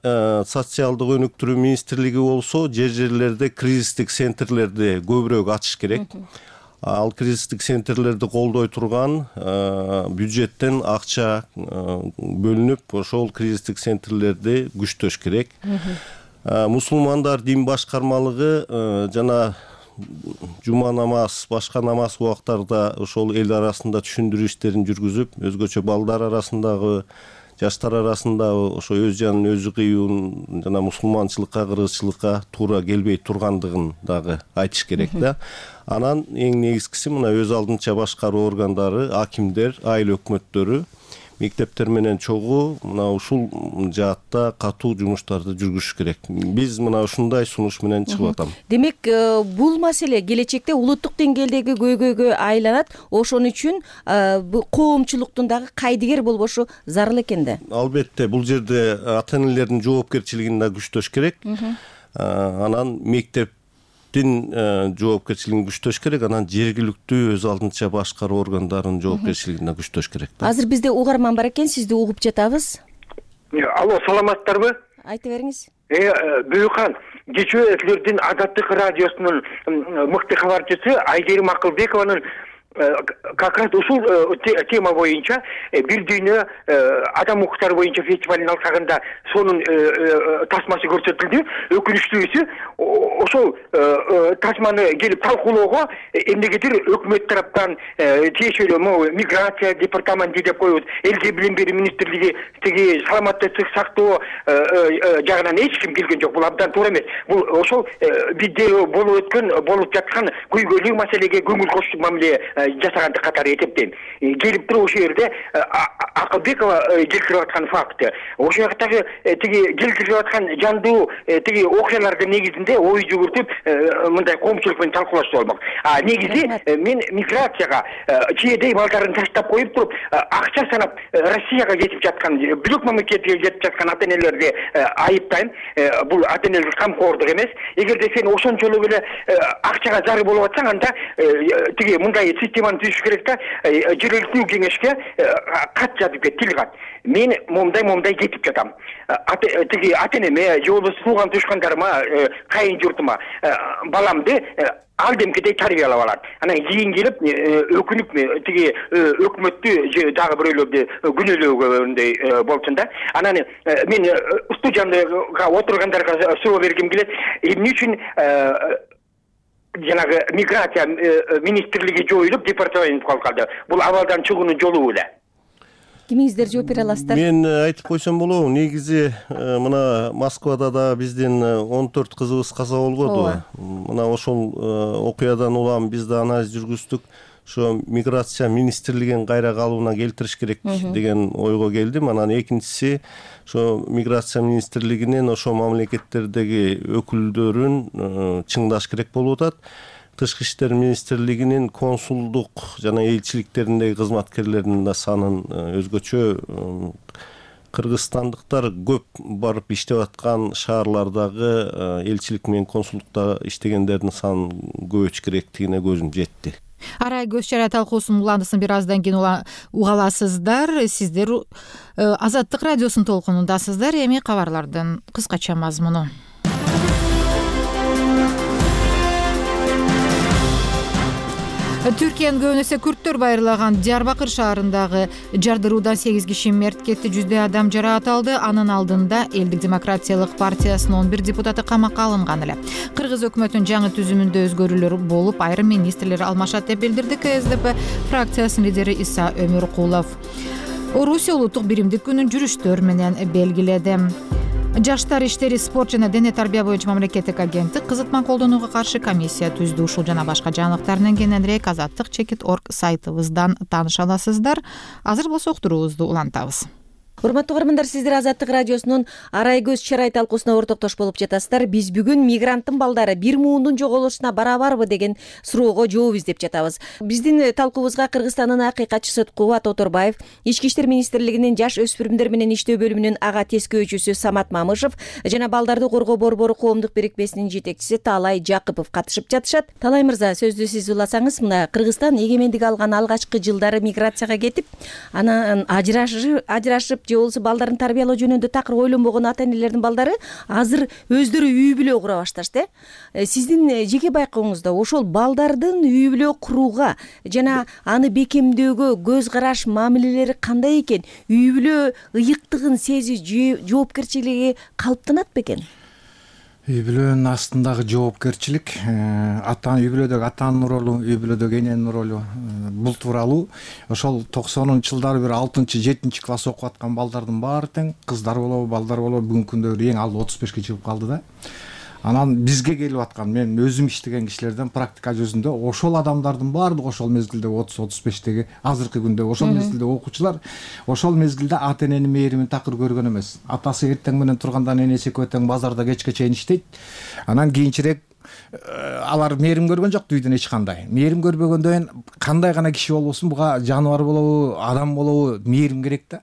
социалдык өнүктүрүү министрлиги болсо, жерлерде кризистик центрлерди көбүрөөк ачыш керек. Ал кризистик центрлерди колдой турган бюджеттен акча бөлүнүп, ошол кризистик центрлерди күчтөш керек. Мусулмандар дин башкармалыгы жана жума намаз, башка намаз убактарда ошол эл арасында түшүндүрүү иштерин жүргүзүп, өзгөчө балдар арасындагы, жаштар арасында ошо өз жанын өзү кыюун жана мусулманчылыкка, кыргызчылыкка туура келбей тургандыгын дагы айтыш керек да. Анан эң негизгиси мына өз алдынча башкаруу органдары, акимдер, айыл өкмөттөрү мектептер менен чогуу мына ушул жаатта катуу жумуштарды жүргүзүш керек. Биз мына ушундай сунуш менен чыгып атам. Демек, бул маселе келечекте улуттук деңгээлдеги көйгөйгө айланат. Ошон үчүн коомчулуктун дагы кайдыгер болбошу зарыл экен да. Албетте, бул жерде ата-энелердин жоопкерчилигин да күчтөш керек. Анан мектептин жоопкерчилигин күчтөш керек, анан жергиликтүү өз алдынча башкаруу органдарынын жоопкерчилигин да күчтөш керек. Азыр бизде угарман бар экен, сизди угуп жатабыз. Алло, саламатсыздарбы? Айта бериңиз. Бүйүкхан, кечээ силердин Азаттык радиосунун мыкты кабарчысы Айгерим Акылбекованын как раз ушул тема боюнча бир дүйнө адам укуктары боюнча фестивалдын алкагында сонун тасмасы көрсөтүлдү. Өкүнүчтүүсү ошол тасманы келип талкуулоого эмнегедир өкмөт тараптан тиешелүү миграция департаменти деп коебуз, элге билим берүү министрлиги, тиги саламаттык сактоо жагынан эч ким келген жок. Бул абдан туура эмес. Бул ошол бизде болуп жаткан көйгөйлүү маселеге көңүл коштук мамиле жасаганды катары эсептейм. Келип туруп ошол жерде Акылбекова келтирип аткан факты. Ошол жактагы тиги келтирип аткан жандуу тиги окуялардын негизинде ой жүгүртүп мындай коомчулук менен талкуулашса болмок. Негизи мен миграцияга чийедей балдарын таштап коюп туруп акча санап Россияга кетип жаткан, бөлөк мамлекетке кетип жаткан ата-энелерди айыптайм. Бул ата-энелик камкордук эмес. Эгерде сен ошончолук эле акчага зары болуп атсаң, анда тиги мындай системаны түзүш керек да, жергиликтүү кеңешке кат жазып кет, тил кат. Мен момдай кетип жатам. Тиги ата-энеме, же болбосо тууган тушкандарыма, кайын журтума баламды ал демкедей тарбиялап алат. Анан кийин келип өкүнүп тиги өкмөттү же дагы бирөөлөрдү күнөөлөгөндөй болчун да. Анан мен студияга отургандарга суроо бергим келет. Эмне үчүн жанагы миграция министрлиги жоюлуп департамент калып калды? Бул абалдан чыгуунун жолу эле. Кимиңиздер жооп бере аласыздар? Мен айтып койсом болобу, негизи мына Москвада да биздин 14 кызыбыз каза болгоду. Мына ошол окуядан улам биз да анализ жүргүздүк. Ошо миграция министрлигин кайра калыбына келтириш керек деген ойго келдим. Анан экинчиси, ошо миграция министрлигинин ошо мамлекеттердеги өкүлдөрүн чыңдаш керек болуп атат. Тышкы иштер министрлигинин консулдук жана элчиликтериндеги кызматкерлеринин да санын өзгөчө кыргызстандыктар көп барып иштеп аткан шаарлардагы элчилик менен консулдукта иштегендердин санын көбөйтүш керектигине көзүм жетти. Арай көз чара талкуусунун уландысын бир аздан кийин уга аласыздар. Сиздер Азаттык радиосунун толкунундасыздар. Эми кабарлардын кыскача мазмуну. Түркиянын көбүнесе күрттөр байырлаган Диярбакыр шаарындагы жардыруудан 8 киши мерт кетти, 100 адам жараат алды. Анын алдында Элдик демократиялык партиясынын 11 депутаты камакка алынган эле. Кыргыз өкмөтүнүн жаңы түзүмүндө өзгөрүүлөр болуп, айрым министрлер алмашат деп билдирди КСДП фракциясынын лидери Иса Өмүркулов. Орусия улуттук биримдик күнүн жүрүштөр менен белгиледи. Жаштар иштери, спорт жана дене тарбия боюнча мамлекеттик агенттик кызытма колдонууга каршы комиссия түздү. Ушул жана башка жаңылыктардан кененирээк azattik.org сайтыбыздан тааныша аласыздар. Азыр болсо уктуруубузду улантабыз. Урматтуу угармандар, сиздер Азаттык радиосунун Арай көз чарай талкуусуна ортоктош болуп жатасыздар. Биз бүгүн мигранттын балдары бир муундун жоголушуна барабарбы деген суроого жооп издеп жатабыз. Биздин талкуубузга Кыргызстандын акыйкатчысы Кубат Оторбаев, Ички иштер министрлигинин жаш өспүрүмдөр менен иштөө бөлүмүнүн ага тескөөчүсү Самат Мамышев жана балдарды коргоо борбору коомдук берекмесинин жетекчиси Талай Жакыпов катышып жатышат. Талай мырза, сөздү сиз уласаңыз. Мына Кыргызстан эгемендик алган алгачкы жылдары миграцияга кетип, анан ажырашып же болбосо балдарын тарбиялоо жөнүндө такыр ойлонбогон ата-энелердин балдары азыр өздөрү үй бүлө кура башташты. Сиздин жеке байкооңузда ошол балдардын үй бүлө курууга жана аны бекемдөөгө көз караш, мамилелери кандай экен? Үй бүлө ыйыктыгын сезүү, жоопкерчилиги калыптанат бекен? Үй бүлөнүн астындагы жоопкерчилик, үй бүлөдөгү атанын ролу, үй бүлөдөгү эненин ролу, бул тууралуу ошол 90-ч жылдары бир 6-7 класс окуп аткан балдардын баары тең, кыздар болобу, балдар болобу, бүгүнкү күндө эң ал 35-ке чыгып калды да. Анан бизге келип аткан, мен өзүм иштеген кишилерден практика жүзүндө ошол адамдардын баардыгы ошол мезгилде 30-35теги азыркы күндө ошол мезгилде окуучулар ошол мезгилде ата-эненин мээримин такыр көргөн эмес. Атасы эртең менен турганда энеси экөө тең базарда кечке чейин иштейт. Анан кийинчерээк алар мээрим көргөн жок үйдөн эч кандай. Мээрим көрбөгөндөн кандай гана киши болбосун, буга жаныбар болобу, адам болобу, мээрим керек да.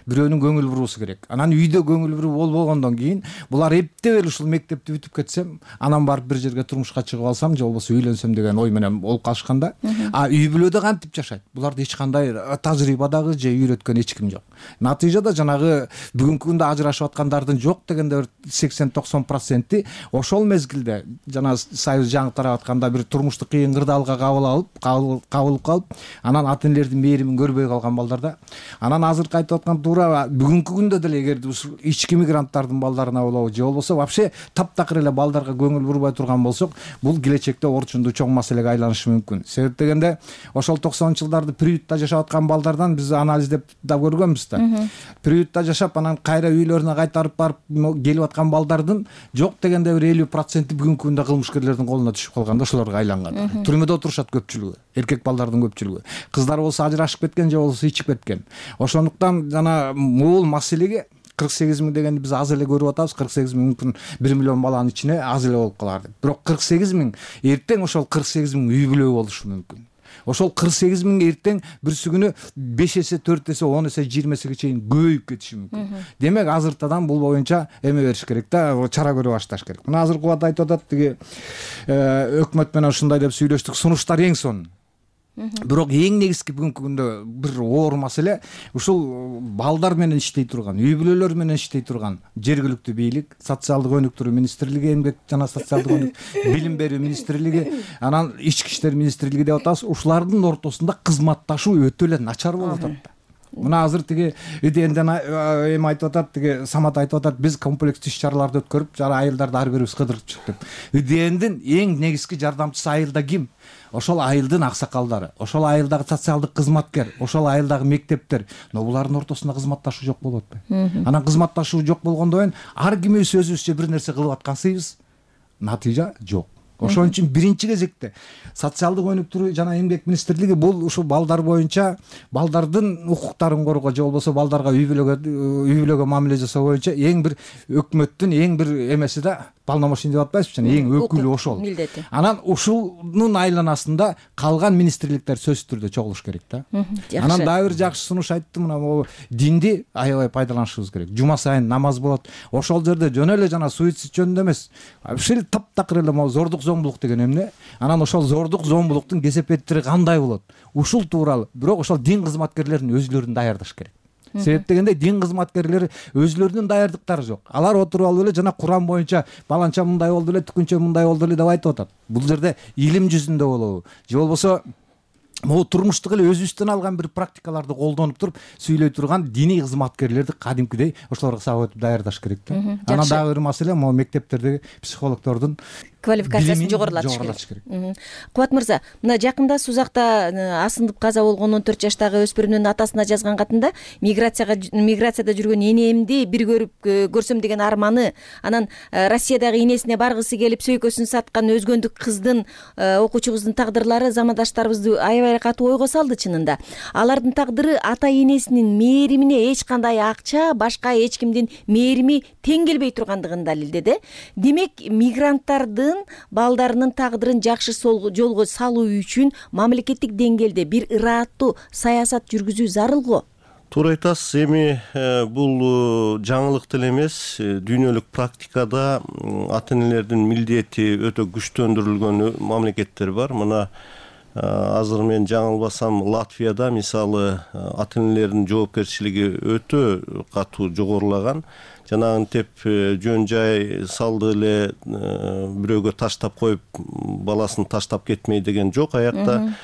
Бирөөнүн көңүл буруусу керек. Анан үйдө көңүл буруу болбогондон кийин булар эптеп эле ушул мектепти бүтүп кетсем, анан барып бир жерге турмушка чыгып алсам, же болбосо үйлөнсөм деген ой менен болуп калышканда, үй бүлөдө кантип жашайт? Буларды эч кандай тажрыйбадагы же үйрөткөн эч ким жок. Натыйжада жанагы бүгүнкү күндө ажырашып аткандардын жок дегенде 80-90% ошол мезгилде жана Союз жаңы тарап атканда бир турмуштук кыйын кырдаалга кабылып калып, анан ата-энелердин мээримин көрбөй калган балдар да. Анан азыркы айтып аткан туура бүгүнкү күндө деле эгерде ушул ички мигранттардын балдарына болобу, же болбосо вообще таптакыр эле балдарга көңүл бурбай турган болсок, бул келечекте орчундуу чоң маселеге айланышы мүмкүн. Себеп дегенде ошол 90-ч жылдарды приютта жашап аткан балдардан биз анализдеп да көргөнбүз да. Приютта жашап анан кайра үйлөрүнө кайтарып барып келип аткан балдардын жок дегенде бир 50% бүгүнкү күндө кылмышкерлердин колуна түшүп калганда ошолорго айланган. Түрмөдө отурушат көпчүлүгү, эркек балдардын көпчүлүгү. Кыздар болсо ажырашып кеткен же болбосо ичип кеткен. Ошондуктан жана бул маселеге 48 миң дегенди биз аз эле көрүп атабыз. 48 миң мүмкүн 1 миллион баланын ичине аз эле болуп калар деп. Бирок 48 миң эртең ошол 48 миң үй бүлө болушу мүмкүн. Ошол 48 миң эртең бүрсү күнү 5 эсе, 4 эсе, 10 эсе, 20 эсеге чейин көбөйүп кетиши мүмкүн. Демек азыртадан бул боюнча эме бериш керек да, чара көрө башташ керек. Мына азыр Кубат айтып атат, тиги өкмөт менен ушундай деп сүйлөштүк, сунуштар эң сонун. Бирок эң негизги бүгүнкү күндө бир оор маселе ушул балдар менен иштей турган, үй бүлөлөр менен иштей турган жергиликтүү бийлик, социалдык өнүктүрүү министрлиги, эмгек жана социалдык өнүктүрүү, билим берүү министрлиги, анан ички иштер министрлиги деп атабыз. Ушулардын ортосунда кызматташуу өтө эле начар болуп атат. Мына азыр тиги ИДНден эми айтып атат, тиги Самат айтып атат, биз комплекстүү иш-чараларды өткөрүп, жана айылдарды ар бирибиз кыдырып чыктык деп. ИДНдин эң негизги жардамчысы айылда ким? Ошол айылдын аксакалдары, ошол айылдагы социалдык кызматкер, ошол айылдагы мектептер. Но булардын ортосунда кызматташуу жок болуп атпайбы? Анан кызматташуу жок болгондон кийин ар кимибиз өзүбүзчө бир нерсе кылып аткансыйбыз, натыйжа жок. Ошон үчүн биринчи кезекте социалдык өнүктүрүү жана эмгек министрлиги бул ушу балдар боюнча балдардын укуктарын коргоо же болбосо балдарга үй бүлөгө мамиле жасоо боюнча эң бир өкмөттүн эң бир эмеси да, полномочий деп атпайбызбы, эң өкүлү ошол. Анан ушунун айланасында калган министрликтер сөзсүз түрдө чогулуш керек да. Анан дагы бир жакшы сунуш айтты, мына могу динди аябай пайдаланышыбыз керек. Жума сайын намаз болот. Ошол жерде жөн эле жана суицид жөнүндө эмес, ушул таптакыр эле могу зордук зомбулук деген эмне? Анан ошол зордук зомбулуктун кесепеттери кандай болот? Ушул тууралуу. Бирок ошол дин кызматкерлеринин өзүлөрүн даярдаш керек. Себеп дегенде дин кызматкерлери өзүлөрүнүн даярдыктары жок. Алар отуруп алып эле жана Куран боюнча баланча мындай болду эле, түкүнчө мындай болду эле деп айтып атат. Бул жерде илим жүзүндө болобу же болбосо могу турмуштук эле өзүбүздөн алган бир практикаларды колдонуп туруп сүйлөй турган диний кызматкерлерди кадимкидей ошолорго сабак өтүп даярдаш керек да. Анан дагы бир маселе могу мектептердеги психологдордун квалификациясын жогорулатыш керек. Кубат мырза, мына жакында Сузакта асындып каза болгон 14 жаштагы өспүрүмдүн атасына жазган катында миграцияда жүргөн энемди бир көрүп көрсөм деген арманы, анан Россиядагы энесине баргысы келип сөйкөсүн саткан өзгөндүк кыздын, окуучубуздун тагдырлары замандаштарыбызды аябай катуу ойго салды чынында. Алардын тагдыры ата энесинин мээримине эч кандай акча, башка эч кимдин мээрими тең келбей тургандыгын далилдеди. Демек, мигранттардын балдарынын тагдырын жакшы жолго салуу үчүн мамлекеттик деңгээлде бир ырааттуу саясат жүргүзүү зарыл го. Туура айтасыз. Эми бул жаңылык деле эмес. Дүйнөлүк практикада ата энелердин милдети өтө күчтөндүрүлгөн мамлекеттер бар. Мына азыр мен жаңылбасам, Латвияда мисалы ата энелердин жоопкерчилиги өтө катуу жогорулаган. Жанагынтип жөн жай салды эле бирөөгө таштап коюп, баласын таштап кетмей деген жок. Аякта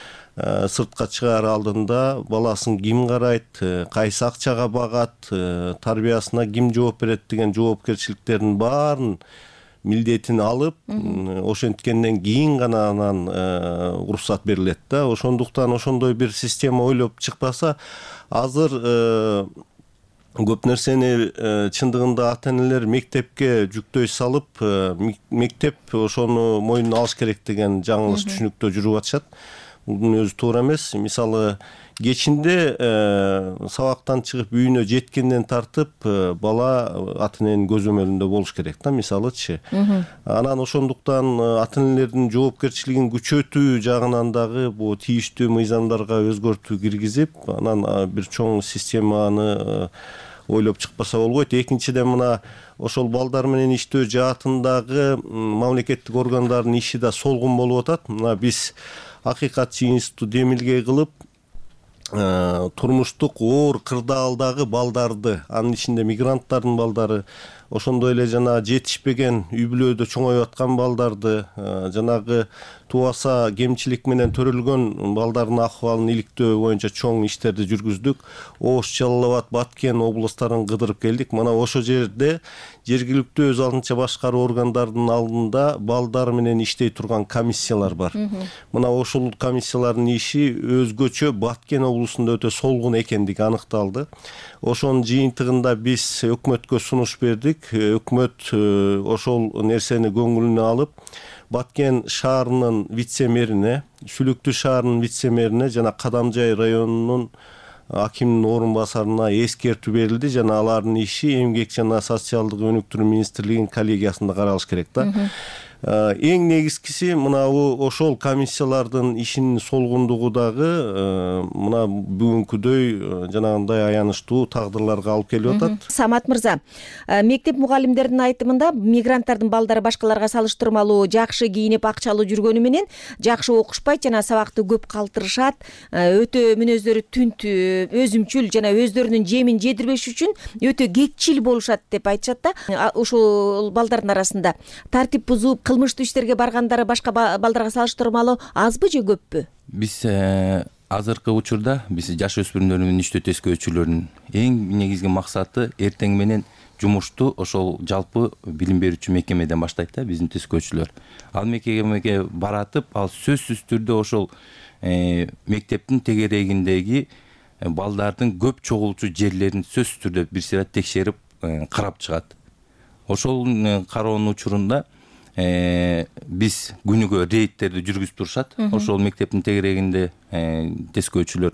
сыртка чыгаар алдында баласын ким карайт, кайсы акчага багат, тарбиясына ким жооп берет деген жоопкерчиликтердин баарын милдетин алып, ошенткенден кийин гана анан уруксат берилет да. Ошондуктан ошондой бир система ойлоп чыкпаса, азыр көп нерсени чындыгында ата энелер мектепке жүктөй салып, мектеп ошону мойнуна алыш керек деген жаңылыш түшүнүктө жүрүп атышат. Бунун өзү туура эмес. Мисалы кечинде сабактан чыгып үйүнө жеткенден тартып бала ата эненин көзөмөлүндө болуш керек да, мисалычы. Анан ошондуктан ата энелердин жоопкерчилигин күчөтүү жагынан дагы бул тийиштүү мыйзамдарга өзгөртүү киргизип, анан бир чоң системаны ойлоп чыкпаса болбойт. Экинчиден, мына ошол балдар менен иштөө жаатындагы мамлекеттик органдардын иши да солгун болуп атат. Мына биз Акыйкатчы институту демилгей кылып, турмуштук оор кырдаалдагы балдарды, анын ичинде мигранттардын балдары, ошондой эле жана жетишпеген үй бүлөдө чоңоюп аткан балдарды, жанагы тубаса кемчилик менен төрөлгөн балдардын акыбалын иликтөө боюнча чоң иштерди жүргүздүк. Ош, Жалал Абад, Баткен облустарын кыдырып келдик. Мына ошол жерде жергиликтүү өз алдынча башкаруу органдарынын алдында балдар менен иштей турган комиссиялар бар. Мына ошол комиссиялардын иши өзгөчө Баткен облусунда өтө солгун экендиги аныкталды. Ошонун жыйынтыгында биз өкмөткө сунуш бердик. Өкмөт ошол нерсени көңүлүнө алып, Баткен шаарынын вице мэрине, Сүлүктүү шаарынын вице мэрине жана Кадамжай районунун акимдин орун басарына эскертүү берилди жана алардын иши Эмгек жана социалдык өнүктүрүү министрлигинин коллегиясында каралыш керек да. Эң негизгиси мынабу ошол комиссиялардын ишинин солгундугу дагы мына бүгүнкүдөй жанагындай аянычтуу тагдырларга алып келип атат. Самат мырза, мектеп мугалимдеринин айтымында мигранттардын балдары башкаларга салыштырмалуу жакшы кийинип акчалуу жүргөнү менен жакшы окушпайт жана сабакты көп калтырышат, өтө мүнөздөрү түнт, өзүмчүл жана өздөрүнүн жемин жедирбеш үчүн өтө кекчил болушат деп айтышат да. Ушул балдардын арасында тартип бузуп кылмыштуу иштерге баргандары башка балдарга салыштырмалуу азбы же көппү? Биз азыркы учурда биз жаш өспүрүмдөр менен иштөө тескөөчүлөрүнүн эң негизги максаты эртең менен жумушту ошол жалпы билим берүүчү мекемеден баштайт да биздин тескөөчүлөр. Ал мекемеге баратып, ал сөзсүз түрдө ошол мектептин тегерегиндеги балдардын көп чогулчу жерлерин сөзсүз түрдө бир сыйра текшерип карап чыгат. Ошол кароонун учурунда биз күнүгө рейдтерди жүргүзүп турушат. Ошол мектептин тегерегинде тескөөчүлөр.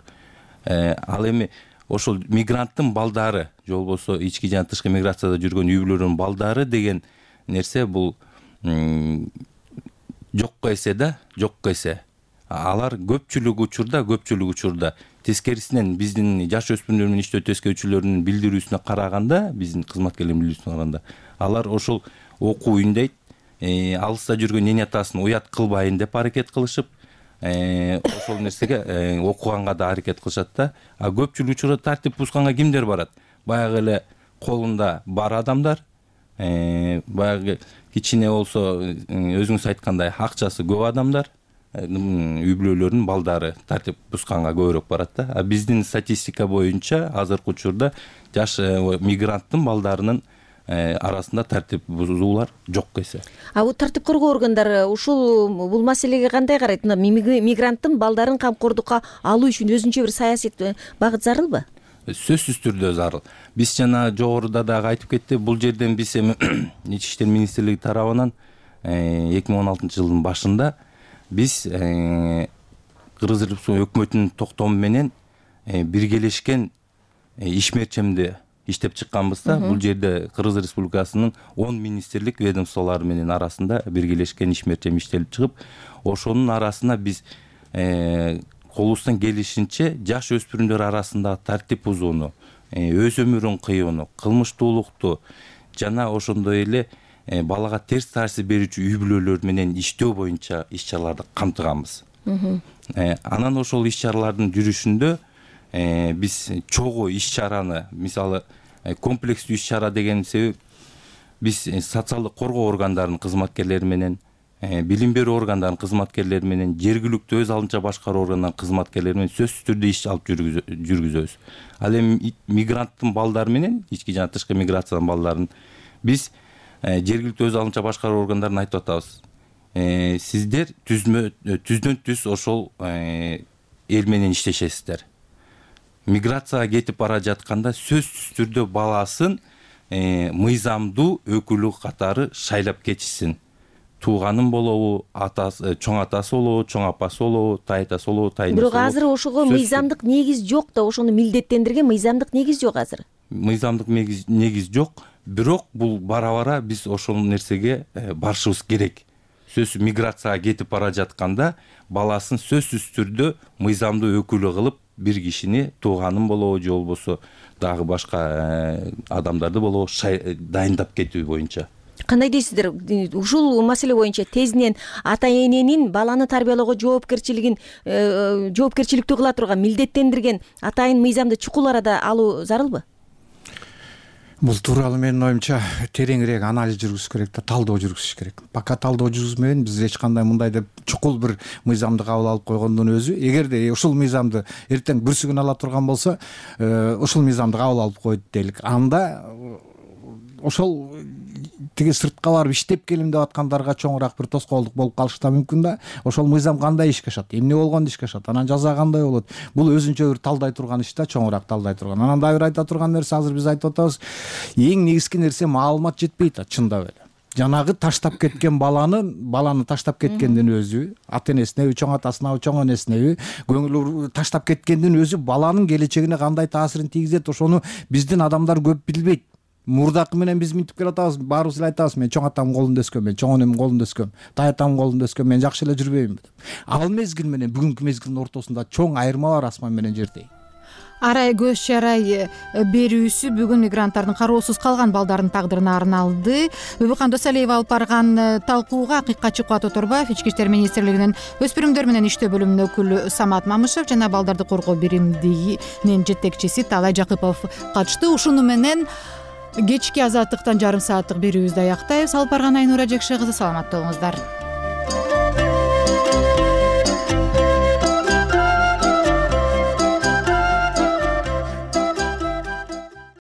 Ал эми ошол мигранттын балдары же болбосо ички жана тышкы миграцияда жүргөн үй бүлөлөрдүн балдары деген нерсе бул жокко эсе да, жокко эсе. Алар көпчүлүк учурда тескерисинен биздин жаш өспүрүмдөр менен иштөө тескөөчүлөрүнүн билдирүүсүнө караганда, биздин кызматкерлердин билдирүүсүнө караганда, алар ошол окуйын дейт, алыста жүргөн эне атасын уят кылбайын деп аракет кылышып, ошол нерсеге окуганга да аракет кылышат да. А көпчүлүк учурда тартип бузганга кимдер барат? Баягы эле колунда бар адамдар, баягы кичине болсо өзүңүз айткандай акчасы көп адамдар, үй бүлөлөрдүн балдары тартип бузганга көбүрөөк барат да. А биздин статистика боюнча азыркы учурда жаш мигранттын балдарынын арасында тартип бузуулар жок эсе. Бул тартип коргоо органдары бул маселеге кандай карайт? Мигранттын балдарын камкордукка алуу үчүн өзүнчө бир саясий багыт зарылбы? Сөзсүз түрдө зарыл. Биз жана жогоруда дагы айтып кетти, бул жерден биз эми Ички иштер министрлиги тарабынан 2016-жылдын башында биз Кыргыз Республикасы өкмөтүнүн токтому менен биргелешкен ишмерчемди иштеп чыкканбыз да. Бул жерде Кыргыз Республикасынын 10 министрлик ведомстволору менен арасында биргелешкен ишмерчем иштелип чыгып, ошонун арасына биз колубуздан келишинче жаш өспүрүмдөр арасында тартип бузууну, өз өмүрүн кыюуну, кылмыштуулукту жана ошондой эле балага терс таасир берүүчү үй бүлөлөр менен иштөө боюнча иш-чараларды камтыганбыз. Анан ошол иш-чаралардын жүрүшүндө биз чогуу иш-чараны, мисалы комплекстүү иш-чара деген себеп биз социалдык коргоо органдарынын кызматкерлери менен, билим берүү органдарынын кызматкерлери менен, жергиликтүү өз алдынча башкаруу органдарынын кызматкерлери менен сөзсүз түрдө иш алып жүргүзөбүз. Ал эми мигранттын балдары менен, ички жана тышкы миграциянын балдарын биз жергиликтүү өз алдынча башкаруу органдарына айтып атабыз. Сиздер түздөн түз ошол эл менен иштешесиздер. Миграцияга кетип бара жатканда сөзсүз түрдө баласын мыйзамдуу өкүлү катары шайлап кетишсин. Тууганын болобу, атасы, чоң атасы болобу, чоң апасы болобу, тайтасы болобу, тайнасы болобу. Бирок азыр ошого мыйзамдык негиз жок да, ошону милдеттендирген мыйзамдык негиз жок азыр. Мыйзамдык негиз жок, бирок бул бара-бара биз ошол нерсеге барышыбыз керек. Сөзсүз миграцияга кетип бара жатканда баласын сөзсүз түрдө мыйзамдуу өкүлү кылып бир кишини, тууганын болобу же болбосо дагы башка адамдарды болобу дайындап кетүү боюнча. Кандай дейсиздер? Ушул маселе боюнча тезинен ата эненин баланы тарбиялоого жоопкерчиликтүү кыла турган, милдеттендирген атайын мыйзамды чукул арада алуу зарылбы? Бул тууралуу менин оюмча тереңирээк анализ жүргүзүш керек да, талдоо жүргүзүш керек. Пока талдоо жүргүзмөйүн, биз эч кандай мындай деп чукул бир мыйзамды кабыл алып койгондун өзү, эгерде ушул мыйзамды эртең бүрсүгүн ала турган болсо, ушул мыйзамды кабыл алып койду дейлик. Анда ошол тиги сыртка барып иштеп келем деп аткандарга чоңураак бир тоскоолдук болуп калышы да мүмкүн да. Ошол мыйзам кандай ишке ашат, эмне болгондо ишке ашат, анан жаза кандай болот, бул өзүнчө бир талдай турган иш да, чоңураак талдай турган. Анан дагы бир айта турган нерсе, азыр биз айтып атабыз, эң негизги нерсе маалымат жетпейт да, чындап эле. жанагы таштап кеткен баланы таштап кеткендин өзү, ата энесинеби, чоң атасынабы, чоң энесинеби көңүл таштап кеткендин өзү баланын келечегине кандай таасирин тийгизет, ошону биздин адамдар көп билбейт. Мурдакы менен биз минтип келатабыз, баарыбыз эле айтабыз, мен чоң атамдын колунда өскөм, мен чоң энемдин колунда өскөм, тайатамдын колунда өскөм, мен жакшы эле жүрбөймүнбү деп. Ал мезгил менен бүгүнкү мезгилдин ортосунда чоң айырма бар, асман менен жердей. Арай көз чарай берүүсү бүгүн мигранттардын кароосуз калган балдардын тагдырына арналды. Бибикан Досалиева алып барган талкууга Акыйкатчы Кубат Оторбаев, Ички иштер министрлигинин өспүрүмдөр менен иштөө бөлүмүнүн өкүлү Самат Мамышев жана балдарды коргоо биримдигинин жетекчиси Талай Жакыпов катышты. Ушуну менен кечки азаттыктан жарым сааттык берүүбүздү аяктайбыз. Алып барган Айнура Жекше кызы, саламатта болуңуздар.